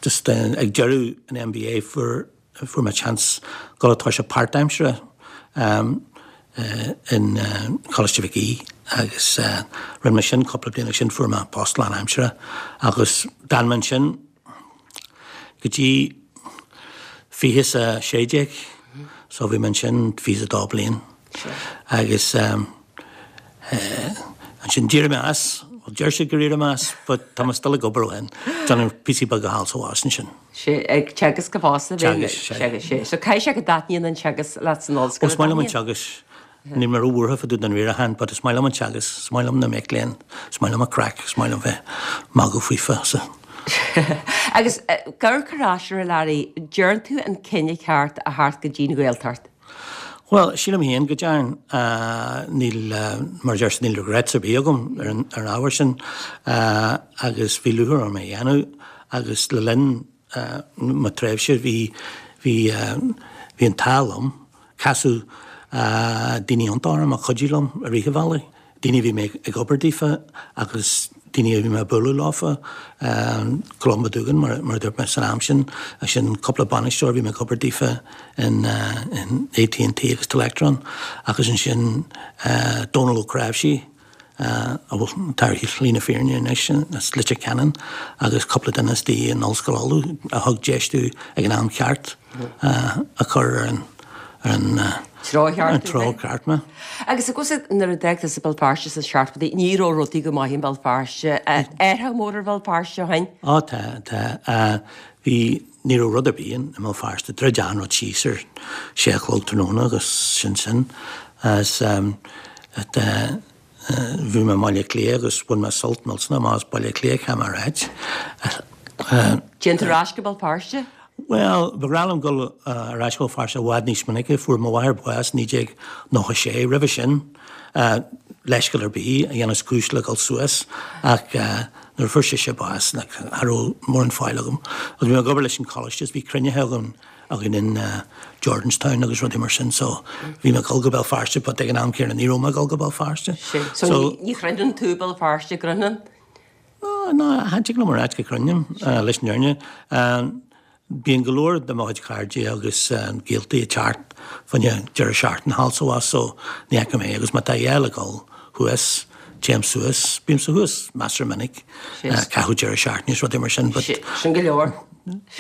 Speaker 7: just ag deireadh an MBA fuair. fuair mé chance dul ag toiseacht páirtaimseartha in Coláiste Mhic Aoidh agus rinne mé sin cúpla bliain agus ansin fuair mé post lánaimseartha agus d'fhan mé ansin go dtí 20 is a 16 so bhí mé ansin 22 bliain agus ansin d'éirigh mé as, well deir siad gur éirigh mé as but tá mé still ag obair ó shin, déanamh píosaí beaga thall is abhus ansin.
Speaker 1: Sea, ag teagasc go fosta.
Speaker 7: Teagasc, sea.
Speaker 1: Sea, so caithfidh sé go dtaitníonn an teagasc leat san ollscoil.
Speaker 7: Ó, is maith liom an teagasc. Níl mé ró-bhuartha fá dtaobh den riarachán but is maith liom an teagasc, is maith liom na mic léinn, is maith liom an craic, is maith liom bheith magadh faofa, so.
Speaker 1: Agus ag amharc ar ais air a Larry, ndearn tú an cinneadh ceart a theacht go dtí'n Ghaeltacht?
Speaker 7: Bhuel, sílim féin go dtearn. Níl, mar a deir siad, níl regrets ar bith agam ar an ábhar sin agus bhí lúcháir orm é a dhéanamh agus le linn mo tréimhse bhí, bhí, bhí an t-ádh liom, casadh daoine iontacha orm a chuidigh liom i rith an bhealaigh. daoine a bhí mé ag obair daofa agus daoine a bhí mé ag bualadh leofa, Columba Doogan mar a dúirt mé san am sin, ansin cúpla bainisteoir a bhí mé ag obair daofa in AT&T agus Telectron agus ansin Dónal Ó Cnáimhsí a bhfuil, atá ar shlí na fírinne anois as Leitir Ceanainn agus cúpla duine istigh in Ollscoil Uladh a thug deis domh ag an am ceart a chur ar an ar an
Speaker 1: treo
Speaker 7: cheart, treo ceart mé.
Speaker 1: Agus i gcomhsa nuair a d'fhág tusa Béal Feirste sna seachtóidí, ní raibh rudaí go maith i mBéal Feirste. Athrú mór ar Bhéal Feirste ó shin?
Speaker 7: Á tá, tá. Bhí, ní raibh rud ar bith i mBéal Feirste. Dhruid achan rud síos ar sé a chlog tráthnóna agus sin sin. Agus bhí mé i mBaile Átha Cliath agus bhain mé sult millteanach amach as Baile Átha Cliath, caithfidh mé a ráit.
Speaker 1: Téann tú ar ais go Béal Feirste?
Speaker 7: Bhuel, ba bhreá liom dul ar ais go Béal Feirste i bhfad níos minice. Fuair mo mháthair bás i 1996. Roimhe sin, leithscéal ar bith a dhéanfas cúis le dul suas ach nuair a fuair sise bás, cha raibh mórán faill agam. Agus bhí mé ag obair leis an choláiste is bhí cruinnithe againn againn in Jordanstown agus rudaí mar sin so bhí mé ag dul go Béal Feirste but ag an am céanna ní raibh mé ag dul go Béal Feirste.
Speaker 1: So ní chroitheann tú Béal Feirste, an gcroitheann?
Speaker 7: Ná, cha dtig liom a ráit go gcroithim, leis an fhírinne. Bíonn go leor de mo chuid cairde agus gaoltaí ag teacht fá choinne deireadh seachtaine thall is abhus so ní fheicim é agus má tá a dhath le dhul thuas, téim suas. Bímse thuas measartha minic, caitheamh deireadh seachtaine is rudaí mar sin but.
Speaker 1: Sin go leor.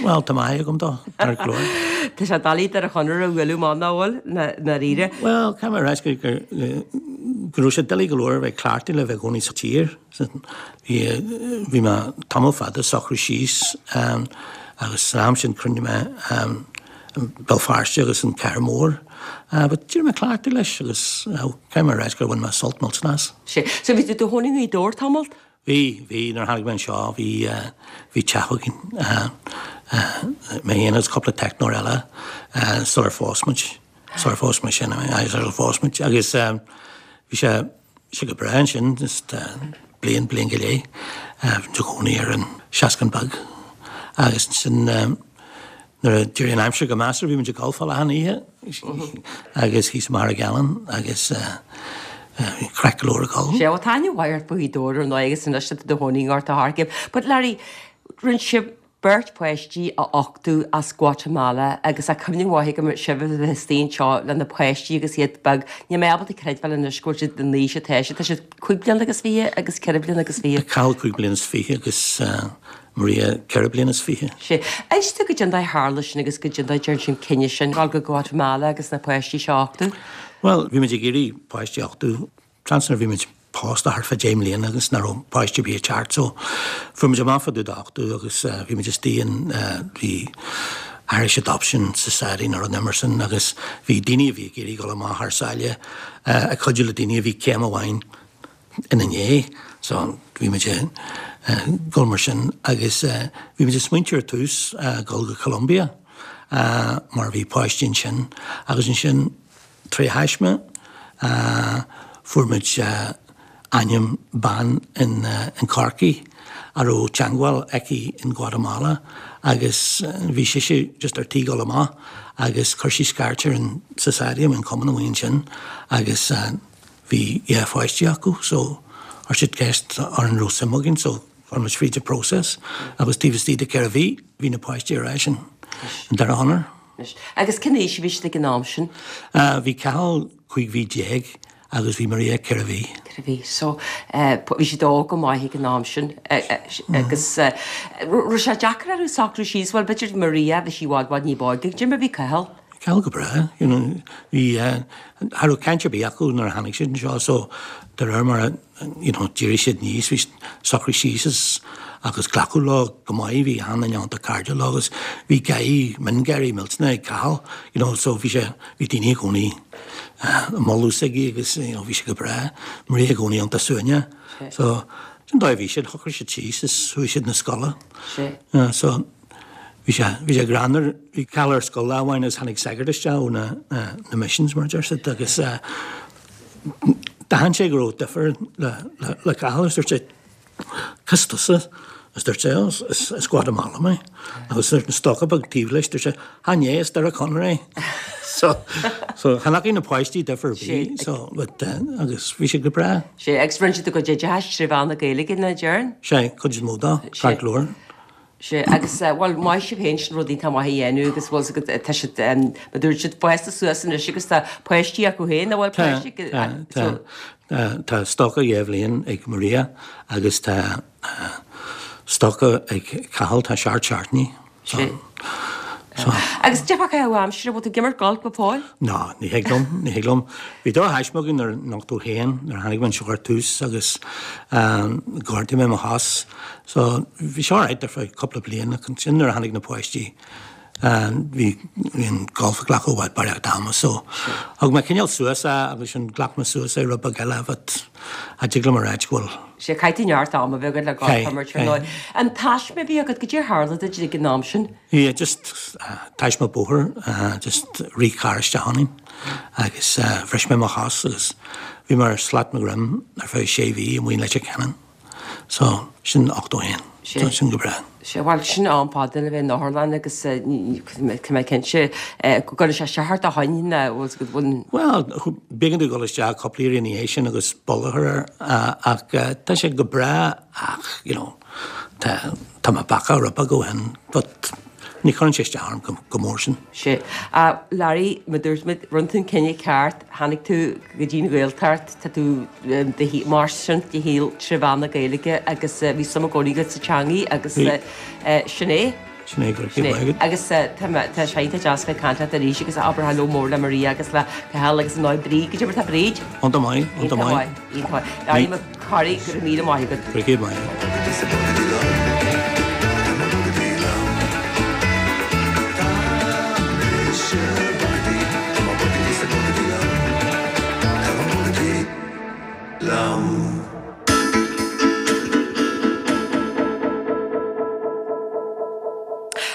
Speaker 7: Bhuel, tá maith agam dó, tá go leor.
Speaker 1: Tá sé doiligh Doire Chonaire a bhualadh amach nach bhfuil, ndáiríre.
Speaker 7: Bhuel, caithfidh mé a ráit go raibh sé doiligh go leor a bheith cleachtaithe le bheith i gcónaí sa tír. Bhí, bhí mé tamall fada ag socrú síos agus san am sin chroith mé Béal Feirste agus an Cathair Mór. But d'éirigh mé cleachtaithe leis agus caithfidh mé a ráit gur bhain mé sult millteanach as.
Speaker 1: Sea. So bhí tú i do chónaí i nGaoth Dobhair tamall?
Speaker 7: Bhí, bhí. Nuair a tháinig mé anseo bhí, bhí teach againn, mé féin agus cúpla teicneoir eile sular phós muid, sular phós mé sin, sular phós muid agus bhí sé, Bhí sé go breá ansin, just bliain, bliain go leith, bhí muid i gcónaí ar an Seascann Beag agus ansin nuair a d'éirigh an aimsir go measartha bhí muid ag golfáil achan oíche agus thíos i Machaire Galán agus bhí craic go leor ag dul.
Speaker 1: Sea, bhuel tá aithne mhaith ort fá Ghaoth Dobhair ar ndóigh agus anois tá tú i do chónaí i nGort a' Choirce. But Larry, rinne sibh beirt pháistí a uchtú as Guatamala agus tá cuimhne mhaith agam sibh a bheith istigh anseo le na páistí agus iad beag. Níl mé ábalta creidbheáil anois go bhfuil siad an aois atá siad. Tá siad 5 bliana agus 20 agus 4 bliana agus 20.
Speaker 7: Cathal 5 bliana is 20 agus Maria 4 bliana is 20.
Speaker 1: Sea. Inis domh goidé an dóigh a tharla sin agus goidé an dóigh a dtearn sibh an cinneadh sin dul go Guatamala agus na páistí seo a uchtú.
Speaker 7: Bhuel, bhí muid ag iarraidh páistí a uchtú. Seans nuair a bhí muid pósta thart fá 10 mbliana agus nach raibh páiste ar bith ag teacht so fuair muid amach fá dtaobh d'uchtú agus bhí muid istigh in bhí Irish Adoption Society nó rud mar sin agus bhí daoine a bhí ag iarraidh dul amach thar sáile ag cuidiú le daoine a bhí céim amháin ina ndiaidh so bhí muid ag dul mar sin agus bhí muid ag smaointiú ar tús dul go Colombia mar bhí páistí ansin agus ansin Tré thaisme, fuair muid ainm bean in Corcaigh a raibh teangmháil aici in Guatamala agus bhí sise just ar tí dul amach agus chuir sí scairt ar an Society, an cumann amuigh ansin agus bhí 2 pháistí acu so chuir siad ceist orainn an raibh suim againn so chuir muid fríd an process agus taobh istigh de 4 mhí bhí na páistí ar ais in Doire Chonaire.
Speaker 1: Anois, agus cén aois a bhí siad ag an am sin?
Speaker 7: Bhí Cathal 15 mhí agus bhí Maria 4 mhí.
Speaker 1: 4 mhí. So, bhí siad óg go maith ag an am sin agus raibh sé deacair orthu socrú síos, bhuel b'fhéidir Maria, bhí sí i bhfad bhfad ní b'óige, cad é mar a bhí Cathal?
Speaker 7: Cathal go breá, you know, bhí, cha raibh caint ar bith acu nuair a tháinig siad anseo so de réir mar a, you know, d'éirigh siad aníos, bhí siad socraithe síos is, agus glacadh leo go maith, bhí achan duine iontach cairdiúil leo agus bhí gáirí, miongháirí millteanach ag Cathal, you know, so bhí sé, bhí daoine i gcónaí ag moladh s'aige agus, you know, bhí sé go breá, Maria i gcónaí iontach suaimhneach, so sin dóigh a bhí siad, shocraigh siad síos is chuaigh siad 'na scoile, so. Bhí sé, bhí sé greannmhar, bhí Cathal ar scoil lá amháin agus tháinig sagart isteach ó na, na missions mar a deir siad agus d'aithin sé go raibh difear le, le, le Cathal agus dúirt sé, Cad as tusa? Agus dúirt sé, oh, is, as Guatemala mé. Agus dúirt an stócach beag taobh leis, dúirt sé, Chan é, as Doire Chonaire é. So, so chan fhacaidh na páistí difear ar bith, so, but, agus bhí sé go breá.
Speaker 1: Sé, agus rinne siad a gcuid oideachais tré mheán na Gaeilge, nach dtearn?
Speaker 7: Sé, cuid is mó dó, ceart go leor.
Speaker 1: Sea, agus, bhuel, maith sibh féin, sin rud iontach maith a dhéanamh agus bhfuil 's agat, tá siad, mar dúirt siad, fásta suas anois agus tá páistí acu féin, an bhfuil
Speaker 7: Tá,
Speaker 1: páistí,
Speaker 7: tá, tá, tá stócach dhá bhliain ag Maria agus tá stócach ag Cathal, tá seacht seachtainí. So,
Speaker 1: so. Agus cad é fá chaitheamh aimsire, bhfuil tú ag imirt golf go fóill?
Speaker 7: Ná, ní thig liom, ní thig liom. Bhí drochthaisme agam nuair, in 81, nuair a tháinig mé anseo ar tús agus ghortaigh mé mo chos. So, bhí sé alright ar feadh cúpla bliain ach ansin nuair a tháinig na páistí, bhí, bhí an golf ag glacadh i bhfad barraíocht ama. So, thug mé cineál suas é agus ansin ghlac mé suas é rud beag eile but cha dtig liom a ráit go bhfuil.
Speaker 1: Sea, caithfidh tú neart ama a bheith agat le golf a imirt ar ndóigh. An taisme a bhí agat, cad é a tharla duit ag an am sin?
Speaker 7: Yeah, just taisme bóthair, just rith carr isteach ionainn agus bhris mé mo chos agus bhí mé ar shlat mo dhroim ar feadh sé mhí amuigh in Leitir Ceanainn. So, sin 81. So, sin go breá.
Speaker 1: Sea, bhuel, sin am fada le bheith in otharlann agus tá mé cinnte go gcuireann sé isteach ar do thóin ná bhfuil.
Speaker 7: Bhuel, b'éigean domh dul isteach cúpla iarraidh ina dhiaidh sin agus boladh a chur air ach tá sé go breá ach, you know, tá, tá mé bacach rud beag ó shin but ní chuireann sé isteach orm go mór sin.
Speaker 1: Sea. A Larry, mar dúirt muid, rinne tú an cinneadh ceart, tháinig tú go dtí an Ghaeltacht, tá tú ag mairstin do shaol tré mheán na Gaeilge agus bhí suim i gcónaí agat sa teangaidh agus sin é.
Speaker 7: Sin é, go raibh maith agat.
Speaker 1: Agus tá mé, tá sé iontach deas bheith ag caint leat arís agus abair hello mór le Maria agus le Cathal agus ar ndóigh Bríd, cad é mar tá Bríd?
Speaker 7: Iontach maith, iontach maith.
Speaker 1: Iontach maith, iontach maith. Larry Mac Corraidh, go raibh míle maith agat.
Speaker 7: Go raibh maith agat.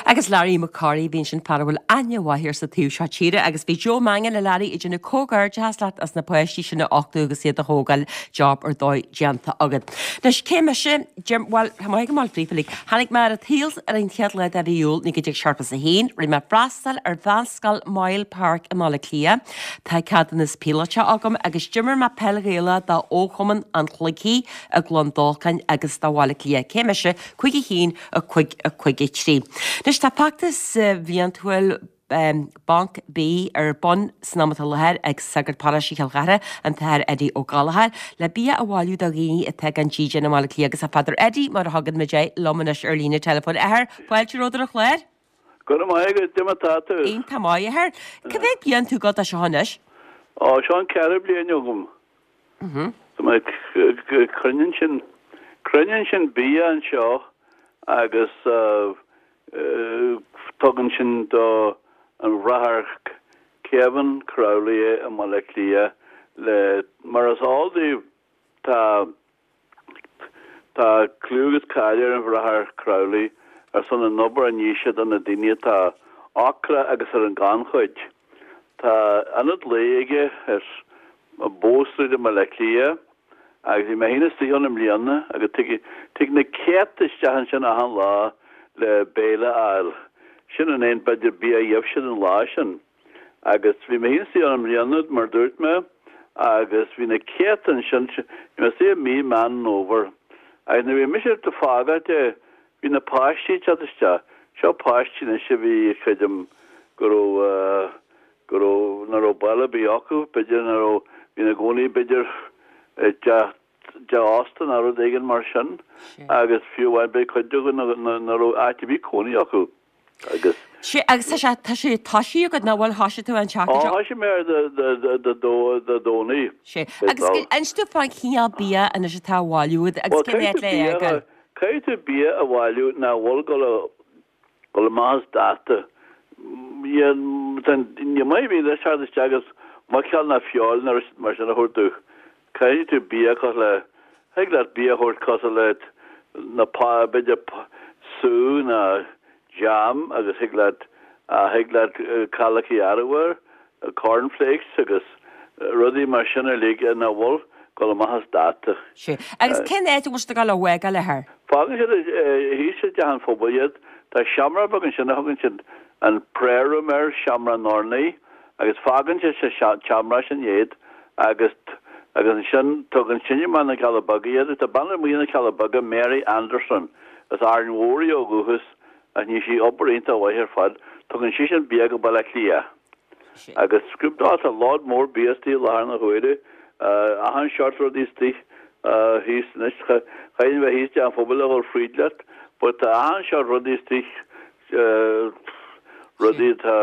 Speaker 1: Agus Larry Mac Corraidh, bhí ansin fear a bhfuil aithne mhaith air sa taobh seo tíre agus bhí Joe Mangan a Larry ag déanamh comhghairdeachas leat as na páistí sin a uchtú agus iad a thógáil, job ar dóigh déanta agat. Anois, cé mise? Jim, bhuel, tá maith go maith fríofa uilig. Tháinig mé ar an tsaol ar an chéad lá de mhí Iúil 1971, rinne mé freastal ar Mheánscoil Moyle Park i mBaile Átha Cliath. Tá ceadúnas píolóta agam agus d'imir mé peil Ghaelach do Fhochumann an Chloigthí i gCluain Dolcáin agus do Bhaile Átha Cliath. Cé mise? 5 1 5 5 3. Anois tá feachtas bhliantúil Banc Bídh ar bun san am atá i láthair ag Sagart Paróiste Chill Chartha, an tAthair Eddie Ó Gallchóir, le bia a bhailiú do dhaoine atá gan dídean i mBaile Átha Cliath agus tá Father Eddie, mar a thugann muid air, liom anois ar líne teileafóin. Athair, fáilte romhat ar an chlár.
Speaker 8: Go raibh maith agat, cad é mar atá tú?
Speaker 1: Iontach maith, a Athair. Cá mhéad bliain tú ag gabháil dó seo anois?
Speaker 8: Ó, seo an ceathrú bliain agam. Tá mé, cruinníonn sinn, cruinníonn sinn bia anseo agus tugann sinn do an Bhráthair Kevin Crowley é i mBaile Átha Cliath le, mar is eol daoibh, tá, Tá clú agus cáil ar an Bhráthair Crowley ar son an obair a ní sé do na daoine atá ocrach agus ar an gannchuid. Tá ionad lae aige ar Bow Street i mBaile Átha Cliath agus bhí mé féin istigh ann i mbliana agus tig tig na céadta isteach ansin achan lá le béile a fháil. Sin an aon b'fhéidir bia a gheibh siad an lá sin. Agus bhí mé féin istigh ann i mbliana, mar a dúirt mé, agus bhí na céadta ansin, bhí mé istigh i mí Meán Fhómhair. Agus nuair a bhí mise ag fágáilt é, bhí na páistí ag teacht isteach. Seo páistí anois a bhí, creidim, go raibh, go raibh, nach raibh baile ar bith acu, b'fhéidir nach raibh, bhí ina gcónaí b'fhéidir i dteach, dteach ósta nó rud éigin mar sin agus fiú amháin b'fhéidir cuid acu nach raibh áit ar bith cónaí acu agus.
Speaker 1: Sea, agus tá sé, tá sé toisithe agat, nach bhfuil, thoisigh tú an tseachtain
Speaker 8: seo? Ó, thoisigh mé air Dé Domhnaigh.
Speaker 1: Sea, agus inis domh fán chineál bia anois atá á bhailiú agat agus cén áit le é a fhágáil?
Speaker 8: Caithfidh tú bia a bhailiú nach bhfuil ag dul amach as dáta. Ní maith a bhí leis theacht isteach agus muiceoil ná feoil ná rud mar sin a thabhairt domh. Caithfidh tú bia cosúil le, thig leat bia a thabhairt cosúil le na b'fhéidir sú ná jam agus thig leat, thig leat cailleachaí arbhair, cornflakes agus rudaí mar sin uilig nach bhfuil ag dul amach as dáta.
Speaker 1: Sea. Agus cén áit a bhfuil siad ag dul á bhfágáil, a Athair?
Speaker 8: Fágann siad thíos i dteach an phobail iad. Tá seomra beag ansin a thugann siad an prayer room air, seomra an urnaí, agus fágann siad sa tseomra sin iad agus agus ansin tugann sin amach na Cealla Beaga iad. Tá bean amuigh na Cealla Beaga, Mary Anderson, as Árainn Mhór í ó dhúchas ach ní sí obair iontach mhaith ar fad. Tugann sise an bia go Baile Átha Cliath. Agus scriob tá lód mór bia istigh i láthair na huaire, achan seort rudaí istigh thíos anois. Chaithfinn bheith thíos i dteach an phobail a dhul fríd leat, but tá achan seort rudaí istigh, rudaí atá,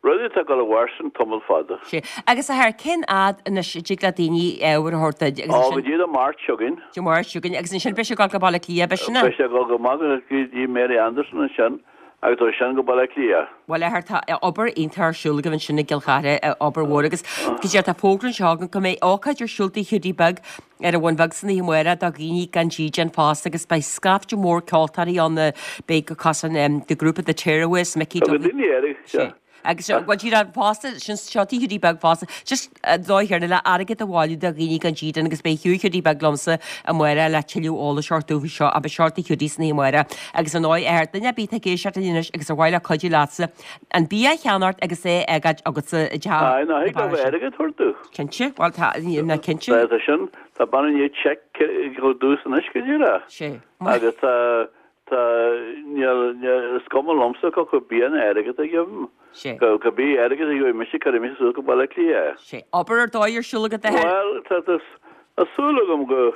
Speaker 8: rudaí atá ag dul i bhfóirstean tamall fada.
Speaker 1: Sea. Agus a Athair, cén fhad anois a dtig le daoine ábhar a thabhairt duit agus
Speaker 8: ansin. Ó, go dtí Dé Máirt seo chugainn.
Speaker 1: Dé Máirt seo chugainn. Agus ansin beidh sé ag dul go Baile Átha Cliath, beidh sin
Speaker 8: ea? Beidh sé ag dul go maith go dtí Mary Anderson ansin. Agus ó sin go Baile Átha Cliath.
Speaker 1: Bhuel, a Athair, tá obair iontach ar siúl agaibh ansin i gCill Chartha, obair mhór agus go díreach tá fógra anseo agam go mbeidh ócáid ar siúl Tigh Hiúdaí Beag ar an Bhun Bheag san oíche amárach do dhaoine gan dídean fosta agus beidh scaifte mór ceoltóirí ann, beidh cosúil le grúpa The Tearaways, Mickey
Speaker 8: Tá go daoine air,
Speaker 1: sea. Agus bhuel díreach fosta, sin seo Tigh Hiúdaí Beag fosta, just an dóigh chéanna le airgead a bhailiú do dhaoine gan dídean agus beidh Hugh Hiúdaí Beag liomsa amárach le tuilleadh eolais a thabhairt dúinn faoi seo ach beidh seo Tigh Hiúdaí san oíche amárach. Agus ar ndóigh, a Athair, duine ar bith atá ag éisteacht linn anois agus ar mhaith leo cuidiú leatsa an bia a cheannacht agus é a fhágáil agatsa i dteach
Speaker 8: Aye, ná thig leo airgead a thabhairt domh.
Speaker 1: Cinnte, bhuel tá, ná cinnte.
Speaker 8: Tá sin, tá bean i ndiaidh cheque a thabhairt domhsa anois go díreach.
Speaker 1: Sé.
Speaker 8: Agus tá, Tá, níl, níl, is cuma liomsa cé acu bia nó airgead a gheibhim.
Speaker 1: Sé.
Speaker 8: Cibé airgead a gheobhaidh mise, cuirfidh mise suas go Baile Átha Cliath é.
Speaker 1: Sé. Obair ar dóigh ar siúl agat, a Athair.
Speaker 8: Bhuel, tá, tá, tá súil agam go,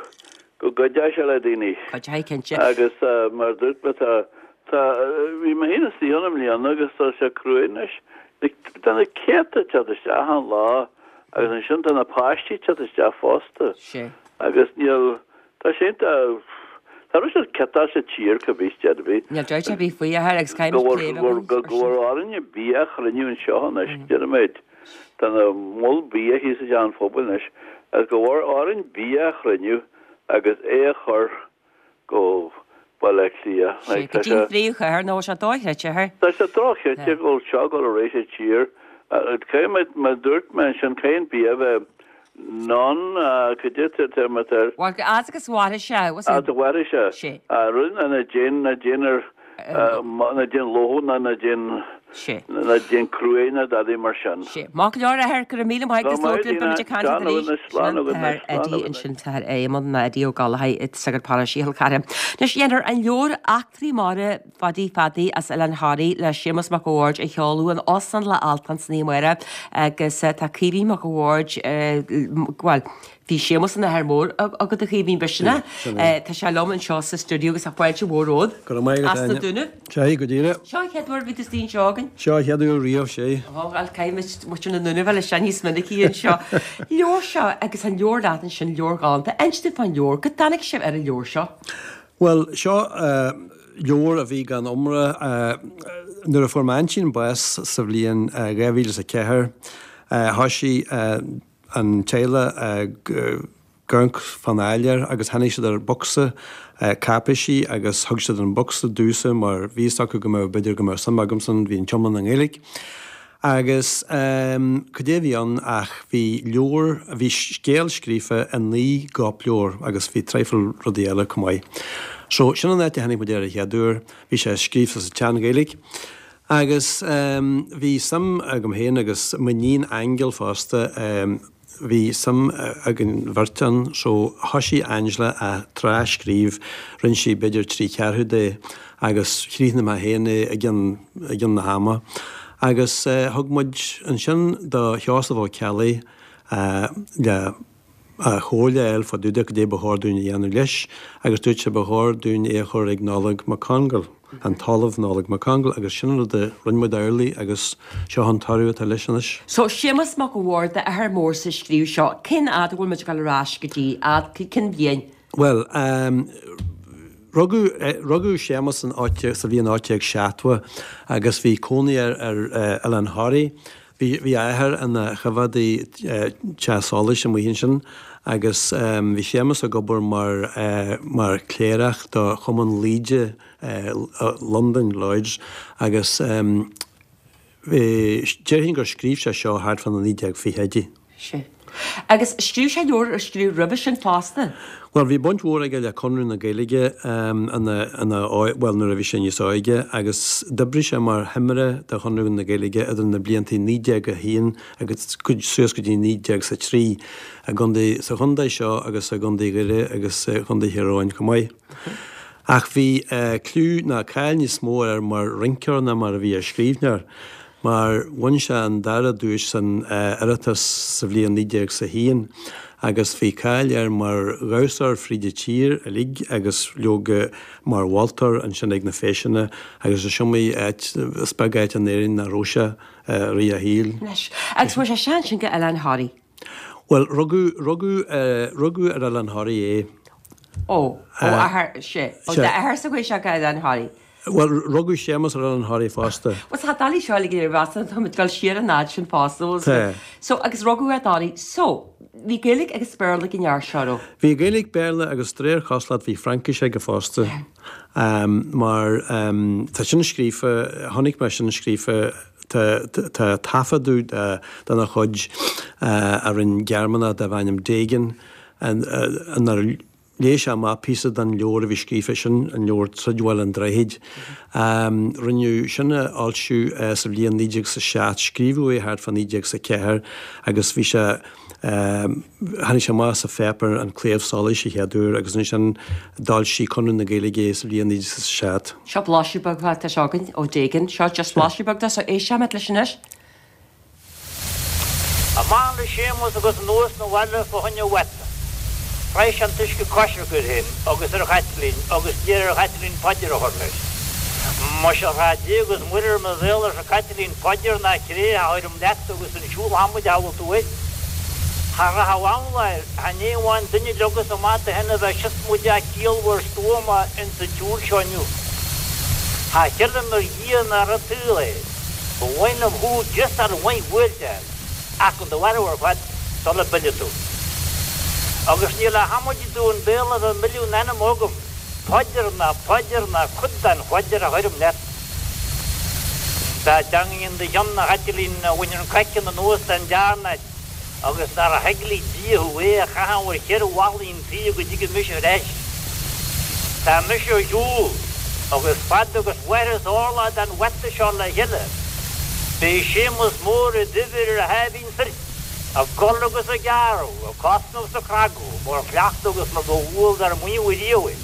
Speaker 8: go gcuideoidh sé le daoine.
Speaker 1: Cuideoidh, cinnte.
Speaker 8: Agus mar a dúirt mé, tá, tá, bhí mé féin istigh ann i mbliana agus tá sé cruaidh anois. Tá na céadta ag teacht isteach achan lá agus ansin tá na páistí ag teacht isteach fosta.
Speaker 1: Sé.
Speaker 8: Agus níl, Tá sé iontach. Tá rud siad ciotáil sa tír cibé ar bith.
Speaker 1: Níl dabht ar bith faoi, a Athair, agus caithfimid
Speaker 8: plé a bheith againn ar sin. Go bhfuil orainn bia a chruinniú anseo anois, deirimid. Tá na moll bia thíos i dteach an phobail anois, agus go bhfuil orainn bia a chruinniú agus é a chur go Baile Átha Cliath.
Speaker 1: Sé, go dtí an phríomhchathair, nó tá sé dochreidte, a Athair.
Speaker 8: Tá sé dochreidte go bhfuil seo ag dul ar aghaidh sa tír. Caithfidh mé, mar a dúirt mé ansin, caithfidh an bia a bheith Non, cad é an téarma atá air?
Speaker 1: Bhuel, fhad agus a mhairfidh sé, was
Speaker 8: it? Fhad a mhairfidh sé.
Speaker 1: Sé.
Speaker 8: Rud ná déan, ná déan ar, ná déan loitheadh ná ná déan,
Speaker 1: Sé.
Speaker 8: ná déan cruaidh ná dadaí mar sin.
Speaker 1: Sé. Maith go leor, a Athair, go raibh míle maith agat
Speaker 8: Go raibh maith
Speaker 1: linn, beimid ag caint
Speaker 8: agat,
Speaker 1: arís.
Speaker 8: Slán
Speaker 1: Sin an
Speaker 8: agat,
Speaker 1: t-athair
Speaker 8: slán agat,
Speaker 1: Eddie ansin, t-athair Éamonn, nó Eddie Ó Gallchóir, sagart paróiste Chill Chartha. Anois, dhéanfar an leabhar Eachtraí Mara Phadaí Pheaidí as Oileán Thoraí le Séamus Mac a' Bhaird a sheoladh in Óstán Loch Altan san oíche amárach agus tá Caoimhín Mac a' Bhaird, bhuel, bhí Séamus ina athair mór agat a Chaoimhín, b'shin é? Tá sé liom anseo sa stiúideo agus tá fáilte mhór romhat.
Speaker 9: Go raibh maith agat,
Speaker 1: As na Dúnaibh.
Speaker 9: Sea, go díreach.
Speaker 1: Seo an chéad uair a bhí tú istigh anseo againn.
Speaker 9: Seo an chéad uair riamh, sea.
Speaker 1: Ó, bhuel, caithfidh muid muintir na nDúnaibh a fháil isteach níos minicí anseo. Leabhar seo agus an leabhar leat ansin, leabhar galánta. Inis dúinn fán leabhar, go dtáinig sibh ar an leabhar seo?
Speaker 9: Bhuel, seo leabhar a bhí gan iomrá. Nuair a fuair m'aintín bás sa bhliain 2004, thoisigh an teaghlach ag amharc fán áiléar agus tháinig siad ar bhocsa cáipéisí agus thug siad an bocsa domhsa mar bhí fhios acu go mbeadh, b'fhéidir go mbeadh suim agamsa ann, bhí an t-iomlán i nGaeilge. Agus cad é a bhí ann ach bhí leabhar, bhí scéal scríofa i 9 gcóipleabhar agus bhí traidhfil rudaí eile chomh maith. So, sin an áit a tháinig muid air an chéad uair, bhí sé scríofa sa tSean-Ghaeilge. Agus bhí suim agam féin agus m'iníon Aingeal fosta, Bhí suim againn bheirt ann so thoisigh Angela á tras-scríobh, rinne sí b'fhéidir 3 cheathrú de agus chríochnaigh mé féin é i gcionn, i gcionn na hama. Agus thug muid ansin do Sheosamh Ó Ceallaigh le comhairle a fháil fá dtaobh de cad é ba chóir dúinn a dhéanamh leis agus dúirt sé ba chóir dúinn é a chur ag Nollaig Mac Congáil, an tOllamh Nollaig Mac Congáil agus sin an rud a rinne muid amhlaidh agus seo an toradh atá leis anois.
Speaker 1: So, Séamus Mac an Bhaird, athair mór a scríobh seo, cén fhad a bhfuil muid ag dul ar ais go dtí, fhad, cén bhliain?
Speaker 9: Bhuel, rugadh, rugadh Séamus in 18, sa bhliain 1870 agus bhí cónaí air ar Oileán Thoraí. Bhí, bhí a athair ina choimheádaí teach solais amuigh ansin agus bhí Séamus ag obair mar, mar chléireach do Chumann Laoide Londain, Lloyds, agus bhí, déarfainn gur scríobh sé seo thart fá na 1920idí.
Speaker 1: Sea. Agus scríobh sé leabhar ar scríobh roimhe sin fosta?
Speaker 9: Bhuel, bhí baint mhór aige le Conradh na Gaeilge ina, ina, bhuel, nuair a bhí sé níos óige agus d'oibrigh sé mar thimire do Chonradh na Gaeilge idir na blianta 1901 agus suas go dtí 1903 i gcontae, sa chontae seo agus i gcontae Dhoire agus i gcontae Thír Eoghain chomh maith. Ach bhí clú ná cáil níos mó air mar rinceoir ná mar a bhí ar scríbhneoir. mar bhain sé an dara duais san Oireachtas sa bhliain 1901 agus bhí cáil air mar dhamhsóir fríd an tír uilig agus leoga mar mholtóir ansin ag na feiseanna agus is iomaí áit, is beag áit in Éirinn nach raibh sé i rith a shaoil.
Speaker 1: Anois, agus fuair sé seans sin go Oileán Thoraí.
Speaker 9: Bhuel, rugadh, rugadh, rugadh ar Oileán Thoraí é.
Speaker 1: Ó, ó athair, sea. Ó d'athair sa chuaigh sé go Oileán Thoraí.
Speaker 9: Bhuel, rugadh Séamus ar Oileán Thoraí fosta.
Speaker 1: Bhuel, tá doiligh seo uilig ar mheas, tá muid ag dul siar an fhad sin fosta, bhfuil
Speaker 9: Tá.
Speaker 1: So, agus rugadh ar Thoraí. So, bhí Gaeilge agus Béarla ag an fhear seo, raibh?
Speaker 9: Bhí Gaeilge, Béarla agus de réir cosúlacht bhí Fraincis aige fosta. Mar tá sin scríofa, chonaic mé sin scríofa, tá, tá taifeadadh dena chuid a rinne Gearmánach darbh ainm Dagan, inar Léigh sé amach píosa den leabhar a bhí scríofa, sin an leabhar Troid Bhaile an Droichid. Rinneadh sin a fhoilsiú sa bhliain 1907, scríobhadh é thart fá 1904 agus bhí sé, tháinig sé amach sa pháipéar An Claidheamh Soluis a chéad uair agus ansin d'fhoilsigh Conradh na Gaeilge é sa bhliain 1907.
Speaker 1: Seo blaiseadh beag atá seo againn ó Dagan. Seo just blaiseadh beag de, so éistfimid leis anois.
Speaker 10: Amach le Séamus agus anuas 'na bhaile fá choinne mhata. Shroich sé an t-uisce coisricthe air féin agus ar Chaitlín agus d'iarr ar Chaitlín paidir a chur leis. Muise a ghrá Dé agus Muire ar mo bhéal arsa Caitlín paidir ná cré a chuirim leat agus an siúl adhmaid a bhfuil tú air. Cha rachadh amhlaidh air, chan é amháin duine leogas amach do shin a bheith siosmaideach ciallmhar stuama ins an tsiúl seo inniu. Cha chreidim ar Dhia ná ar an tsaol é. Ba mhaith liom thú griosáil mhaith bhuailteáil ach chun do mharbhú ar fad sula bpillfidh tú. Agus níl le hamaidí domh an béal a bheith milleadh an ainm agam, paidir ná paidir ná cuid den phaidir a chuirim leat. Tá teangaidh in do chionn, a Chaitlín, a bhain an craiceann anuas den dearnáid. Agus nár theaglaigh Dia thú é a chaitheamh ar cheithre bhallaí an tí go dtige mise ar ais. Tá mise ar shiúl, agus fad agus mhairfeas orlach den bhata seo le chéile, beidh Séamus Mór i d'uimhir ar a sháimhín soirc, ag cur agus ag gearradh, ag cosnamh 's ag cnagadh, mar chleachtadh agus mar ba dhual dár mbuíon riamh é.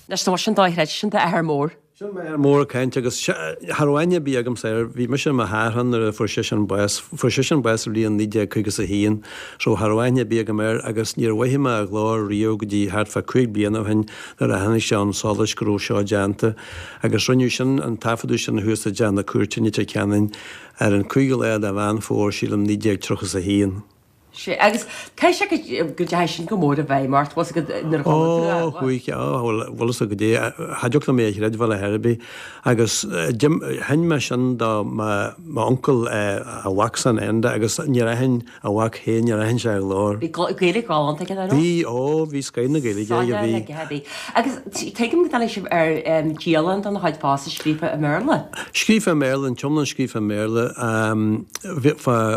Speaker 1: Anois tá sin dochreidte, sin d'athair mór.
Speaker 9: Sin m'athair mór ag caint agus cha raibh aithne ar bith agamsa air. Bhí mise i mo shearthan nuair a fuair seisean bás. Fuair seisean bás sa bhliain 1951 so cha raibh aithne ar bith agam air agus níor mhothaigh mé a ghlór riamh go dtí thart fá chúig bliana ó shin nuair a tháinig sé chun solais go raibh seo déanta. Agus rinneadh sin, an taifeadadh sin thuas i dTeach na Cúirte i Leitir Ceanainn ar an 5ú lá de Mheán Fómhair, sílim, 1931.
Speaker 1: Sea, agus caithfidh sé go dteachaigh sin go mór i bhfeidhm ort, bhfuil fhios agat, nuair a chuala tú é.
Speaker 9: Ó, chuaigh, ó, bhuel, bhfuil fhios agat é, cha dtiocfadh liom é a chreidbheáil ar chor ar bith. Agus sheinn mé sin do m'uncail, a mhacsan Enda, agus níor aithin a mhac féin, níor aithin sé a ghlór.
Speaker 1: Bhí Gaeilge ghalánta aige, nach raibh?
Speaker 9: Bhí, ó, bhí scoith na Gaeilge aige, bhí.
Speaker 1: Soiléir bhí. Agus tuigim go dtáinig sibh ar dialann dona chuid fosta scríofa i mBéarla?
Speaker 9: Scríofa i mBéarla, an t-iomlán scríofa i mBéarla.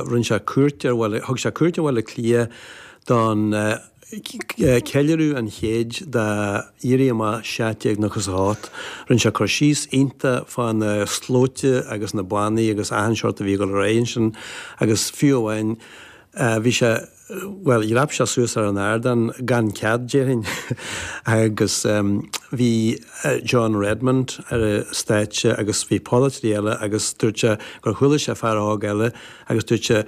Speaker 9: Rinne sé cuairt ar Bhaile, thug sé cuairt ar Bhaile Átha Cliath don ceiliúradh an chéid d'Éirí Amach 1798. Rinne sé cur síos iontach fá na slóite agus na bannaí agus achan seort a bhí ag dul ar aghaidh ansin agus fiú amháin bhí sé, bhuel, dhreap sé suas ar an ardán gan cead, déarfainn, agus. bhí John Redmond ar an stáitse agus bhí polaiteoirí eile agus dúirt sé gur chuala sé fear óg eile agus dúirt sé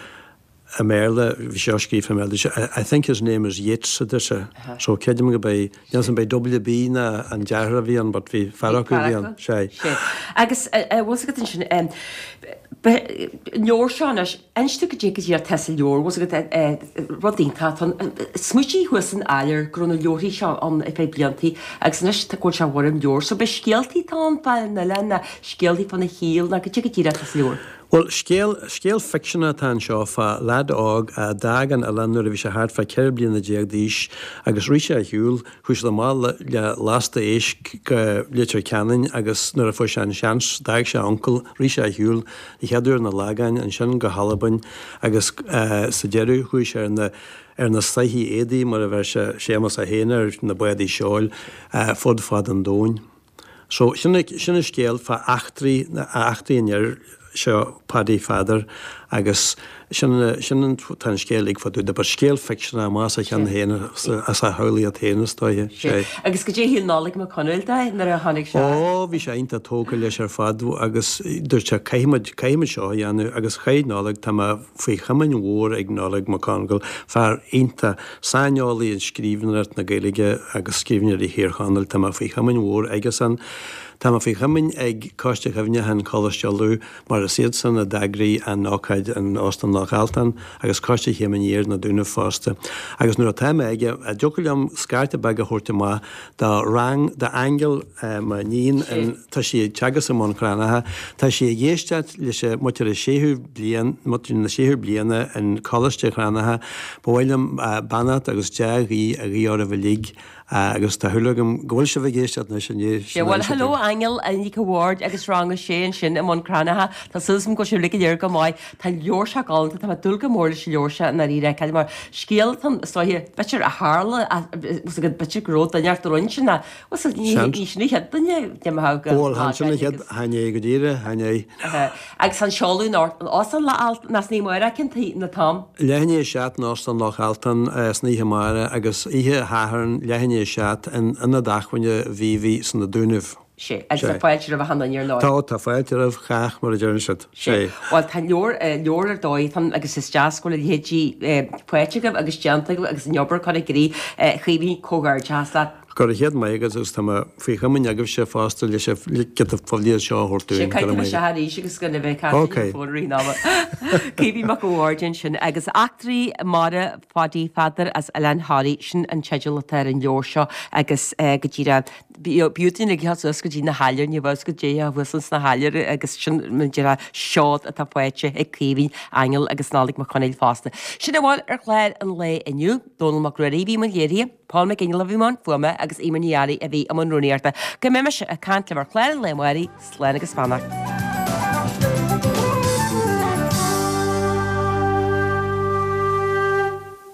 Speaker 9: i mBéarla, bhí seo scríofa i mBéarla, dúirt sé I think his name is Yeats a deir sé. So creidim go b'é, níl 'fhios a'm b'é WB ná an deartháir a bhí ann but bhí fear acu a bhí ann, sea.
Speaker 1: Sea. Agus bhfuil 'fhios agat ansin, leabhar seo anois, Inis domh goidé go díreach atá sa leabhar, bhfuil 'fhios agat, rud iontach atá ann. Smaoitigh thuas san Áiléar go raibh na leabharthaí seo ann ar feadh bliantaí agus anois tá go bhfuil sé i bhfoirm leabhair. So b'é scéaltaí atá ann fán oileán ná scéaltaí fána shaol ná goidé go díreach atá sa leabhar.
Speaker 9: Bhuel, scéal, scéal ficseanach atá anseo fá leaid óg a d'fhág an oileán nuair a bhí sé thart fá 14 bliana d'aois agus rith sé ar shiúl, Chuaigh siad amach le lasta éisc go Leitir Ceanainn agus nuair a fuair sé an seans d'fhág sé a uncail, rith sé ar shiúl an chéad uair na Lagáin, ansin go hAlbain agus sa deireadh chuaigh sé ar na ar na soithí éadaigh mar a bheir sé Séamas é féin air, na bádaí seoil, fud fad an domhain. So, sin sin an scéal fá eachtraí, eachtraí an fhir seo, Paddy Pheadair, agus sin sin an, tá an scéal uilig fá dtaobh de, but scéal ficseanach amach as a cheann féin, as a shamhlaíocht féin is dóiche,
Speaker 1: sé. Agus goidé a shíl Nollaig Mac Conaill de nuair a chonaic sé?
Speaker 9: Ó, bhí sé iontach tógtha leis ar fad agus dúirt sé caithfimid, caithfimid seo a dhéanamh agus chaith Nollaig, tá mé faoi chomaoin mhór ag Nollaig Mac Congáil, fear iontach, saineolaí i scríbhneoireacht na Gaeilge agus scríbhneoirí Thír Chonaill. Tá mé faoi chomaoin mhór aigesan. Tá mé faoi chomaoin ag Coiste Chuimhneacháin Choláiste Uladh mar is iadsan a d'eagraigh an ócáid in Óstán Loch Altan agus Coiste Chéim Aniar na Dúnaibh fosta. Agus nuair atá mé aige, an dtiocfadh liom scairte beag a thabhairt amach do rang, d'Aingeal, m'iníon, tá sí ag teagasc i mBun Cranncha, tá sí ag éisteacht leis an muintir an séú bliain, muintir na séú bliana in Coláiste Chranncha, ba mhaith liom beannacht agus dea-ghuí a ghuí oraibh uilig agus tá shúil agam go bhfuil sibh ag éisteacht anois i ndiaidh
Speaker 1: Sea, bhuel, hello Aingeal Nic a' Bhaird agus rang a sé ansin i mBun Cranncha. Tá súil agam go bhfuil sibh uilig go léir go maith. Tá an leabhar seo galánta, tá mé ag dúil go mór leis an leabhar seo i ndáiríre a fheiceáil mar scéal atá ann is dóiche, b'fhéidir a tharla, b'fhéidir go raibh duine ort a rinne sin ach ní sin an chéad duine de mo
Speaker 9: thogha. Bhuel, chan sin an chéad, chan é go díreach, chan é.
Speaker 1: Agus an seoladh in Óstán Loch Altan, ná san oíche amárach cén t-am atá ann?
Speaker 9: Leath i ndiaidh a seacht in Óstán Loch Altan san oíche amárach agus oíche Shathairn leath i ndiaidh a seacht in Ionad Acmhainne Mhíobhaí sna Dúnaibh.
Speaker 1: Sea, agus tá fáilte roimh achan duine ar ndóigh.
Speaker 9: Tá, tá fáilte roimh chách mar a deireann siad.
Speaker 1: Sea. Bhuel, tá leabhar, leabhar ar dóigh atá ann agus is deas go bhfuil a leithéidí faighte agaibh agus déanta agaibh agus an obair curtha i gcrích. A Chaoimhín, comhghairdeachas leat.
Speaker 9: Go raibh chéad maith agat agus tá mé faoi chomaoin agaibhse fosta leis an giota poiblíocht seo a thabhairt
Speaker 1: dúinn. Sea, caithfidh tú isteach arís agus go mbeidh caint ar an bhfón i rith an ama. Caoimhín Mac a' Bhaird ansin agus Eachtraí Mara Phaidí Pheadair as Oileán Thoraí, sin an teideal atá ar an leabhar seo agus go díreach B'fhiú duine ag teacht suas go dtí na hAiléir, ní bheadh go dtéifeá thuas ins na hAiléir agus sin mar a déarfá seod atá faighte ag Caoimhín, Aingeal agus Nollaig Mac Conaill fosta. Sin a bhfuil ar chlár an lae inniu. Dónall Mac Ruairí a bhí i mbun léirithe, Paul McGinley a bhí i mbun fuaime agus Eimear Ní Fhearraigh a bhí i mbun rúnaíochta. Go mbeidh mise ag caint libh ar chlár an lae amárach, slán agus beannacht.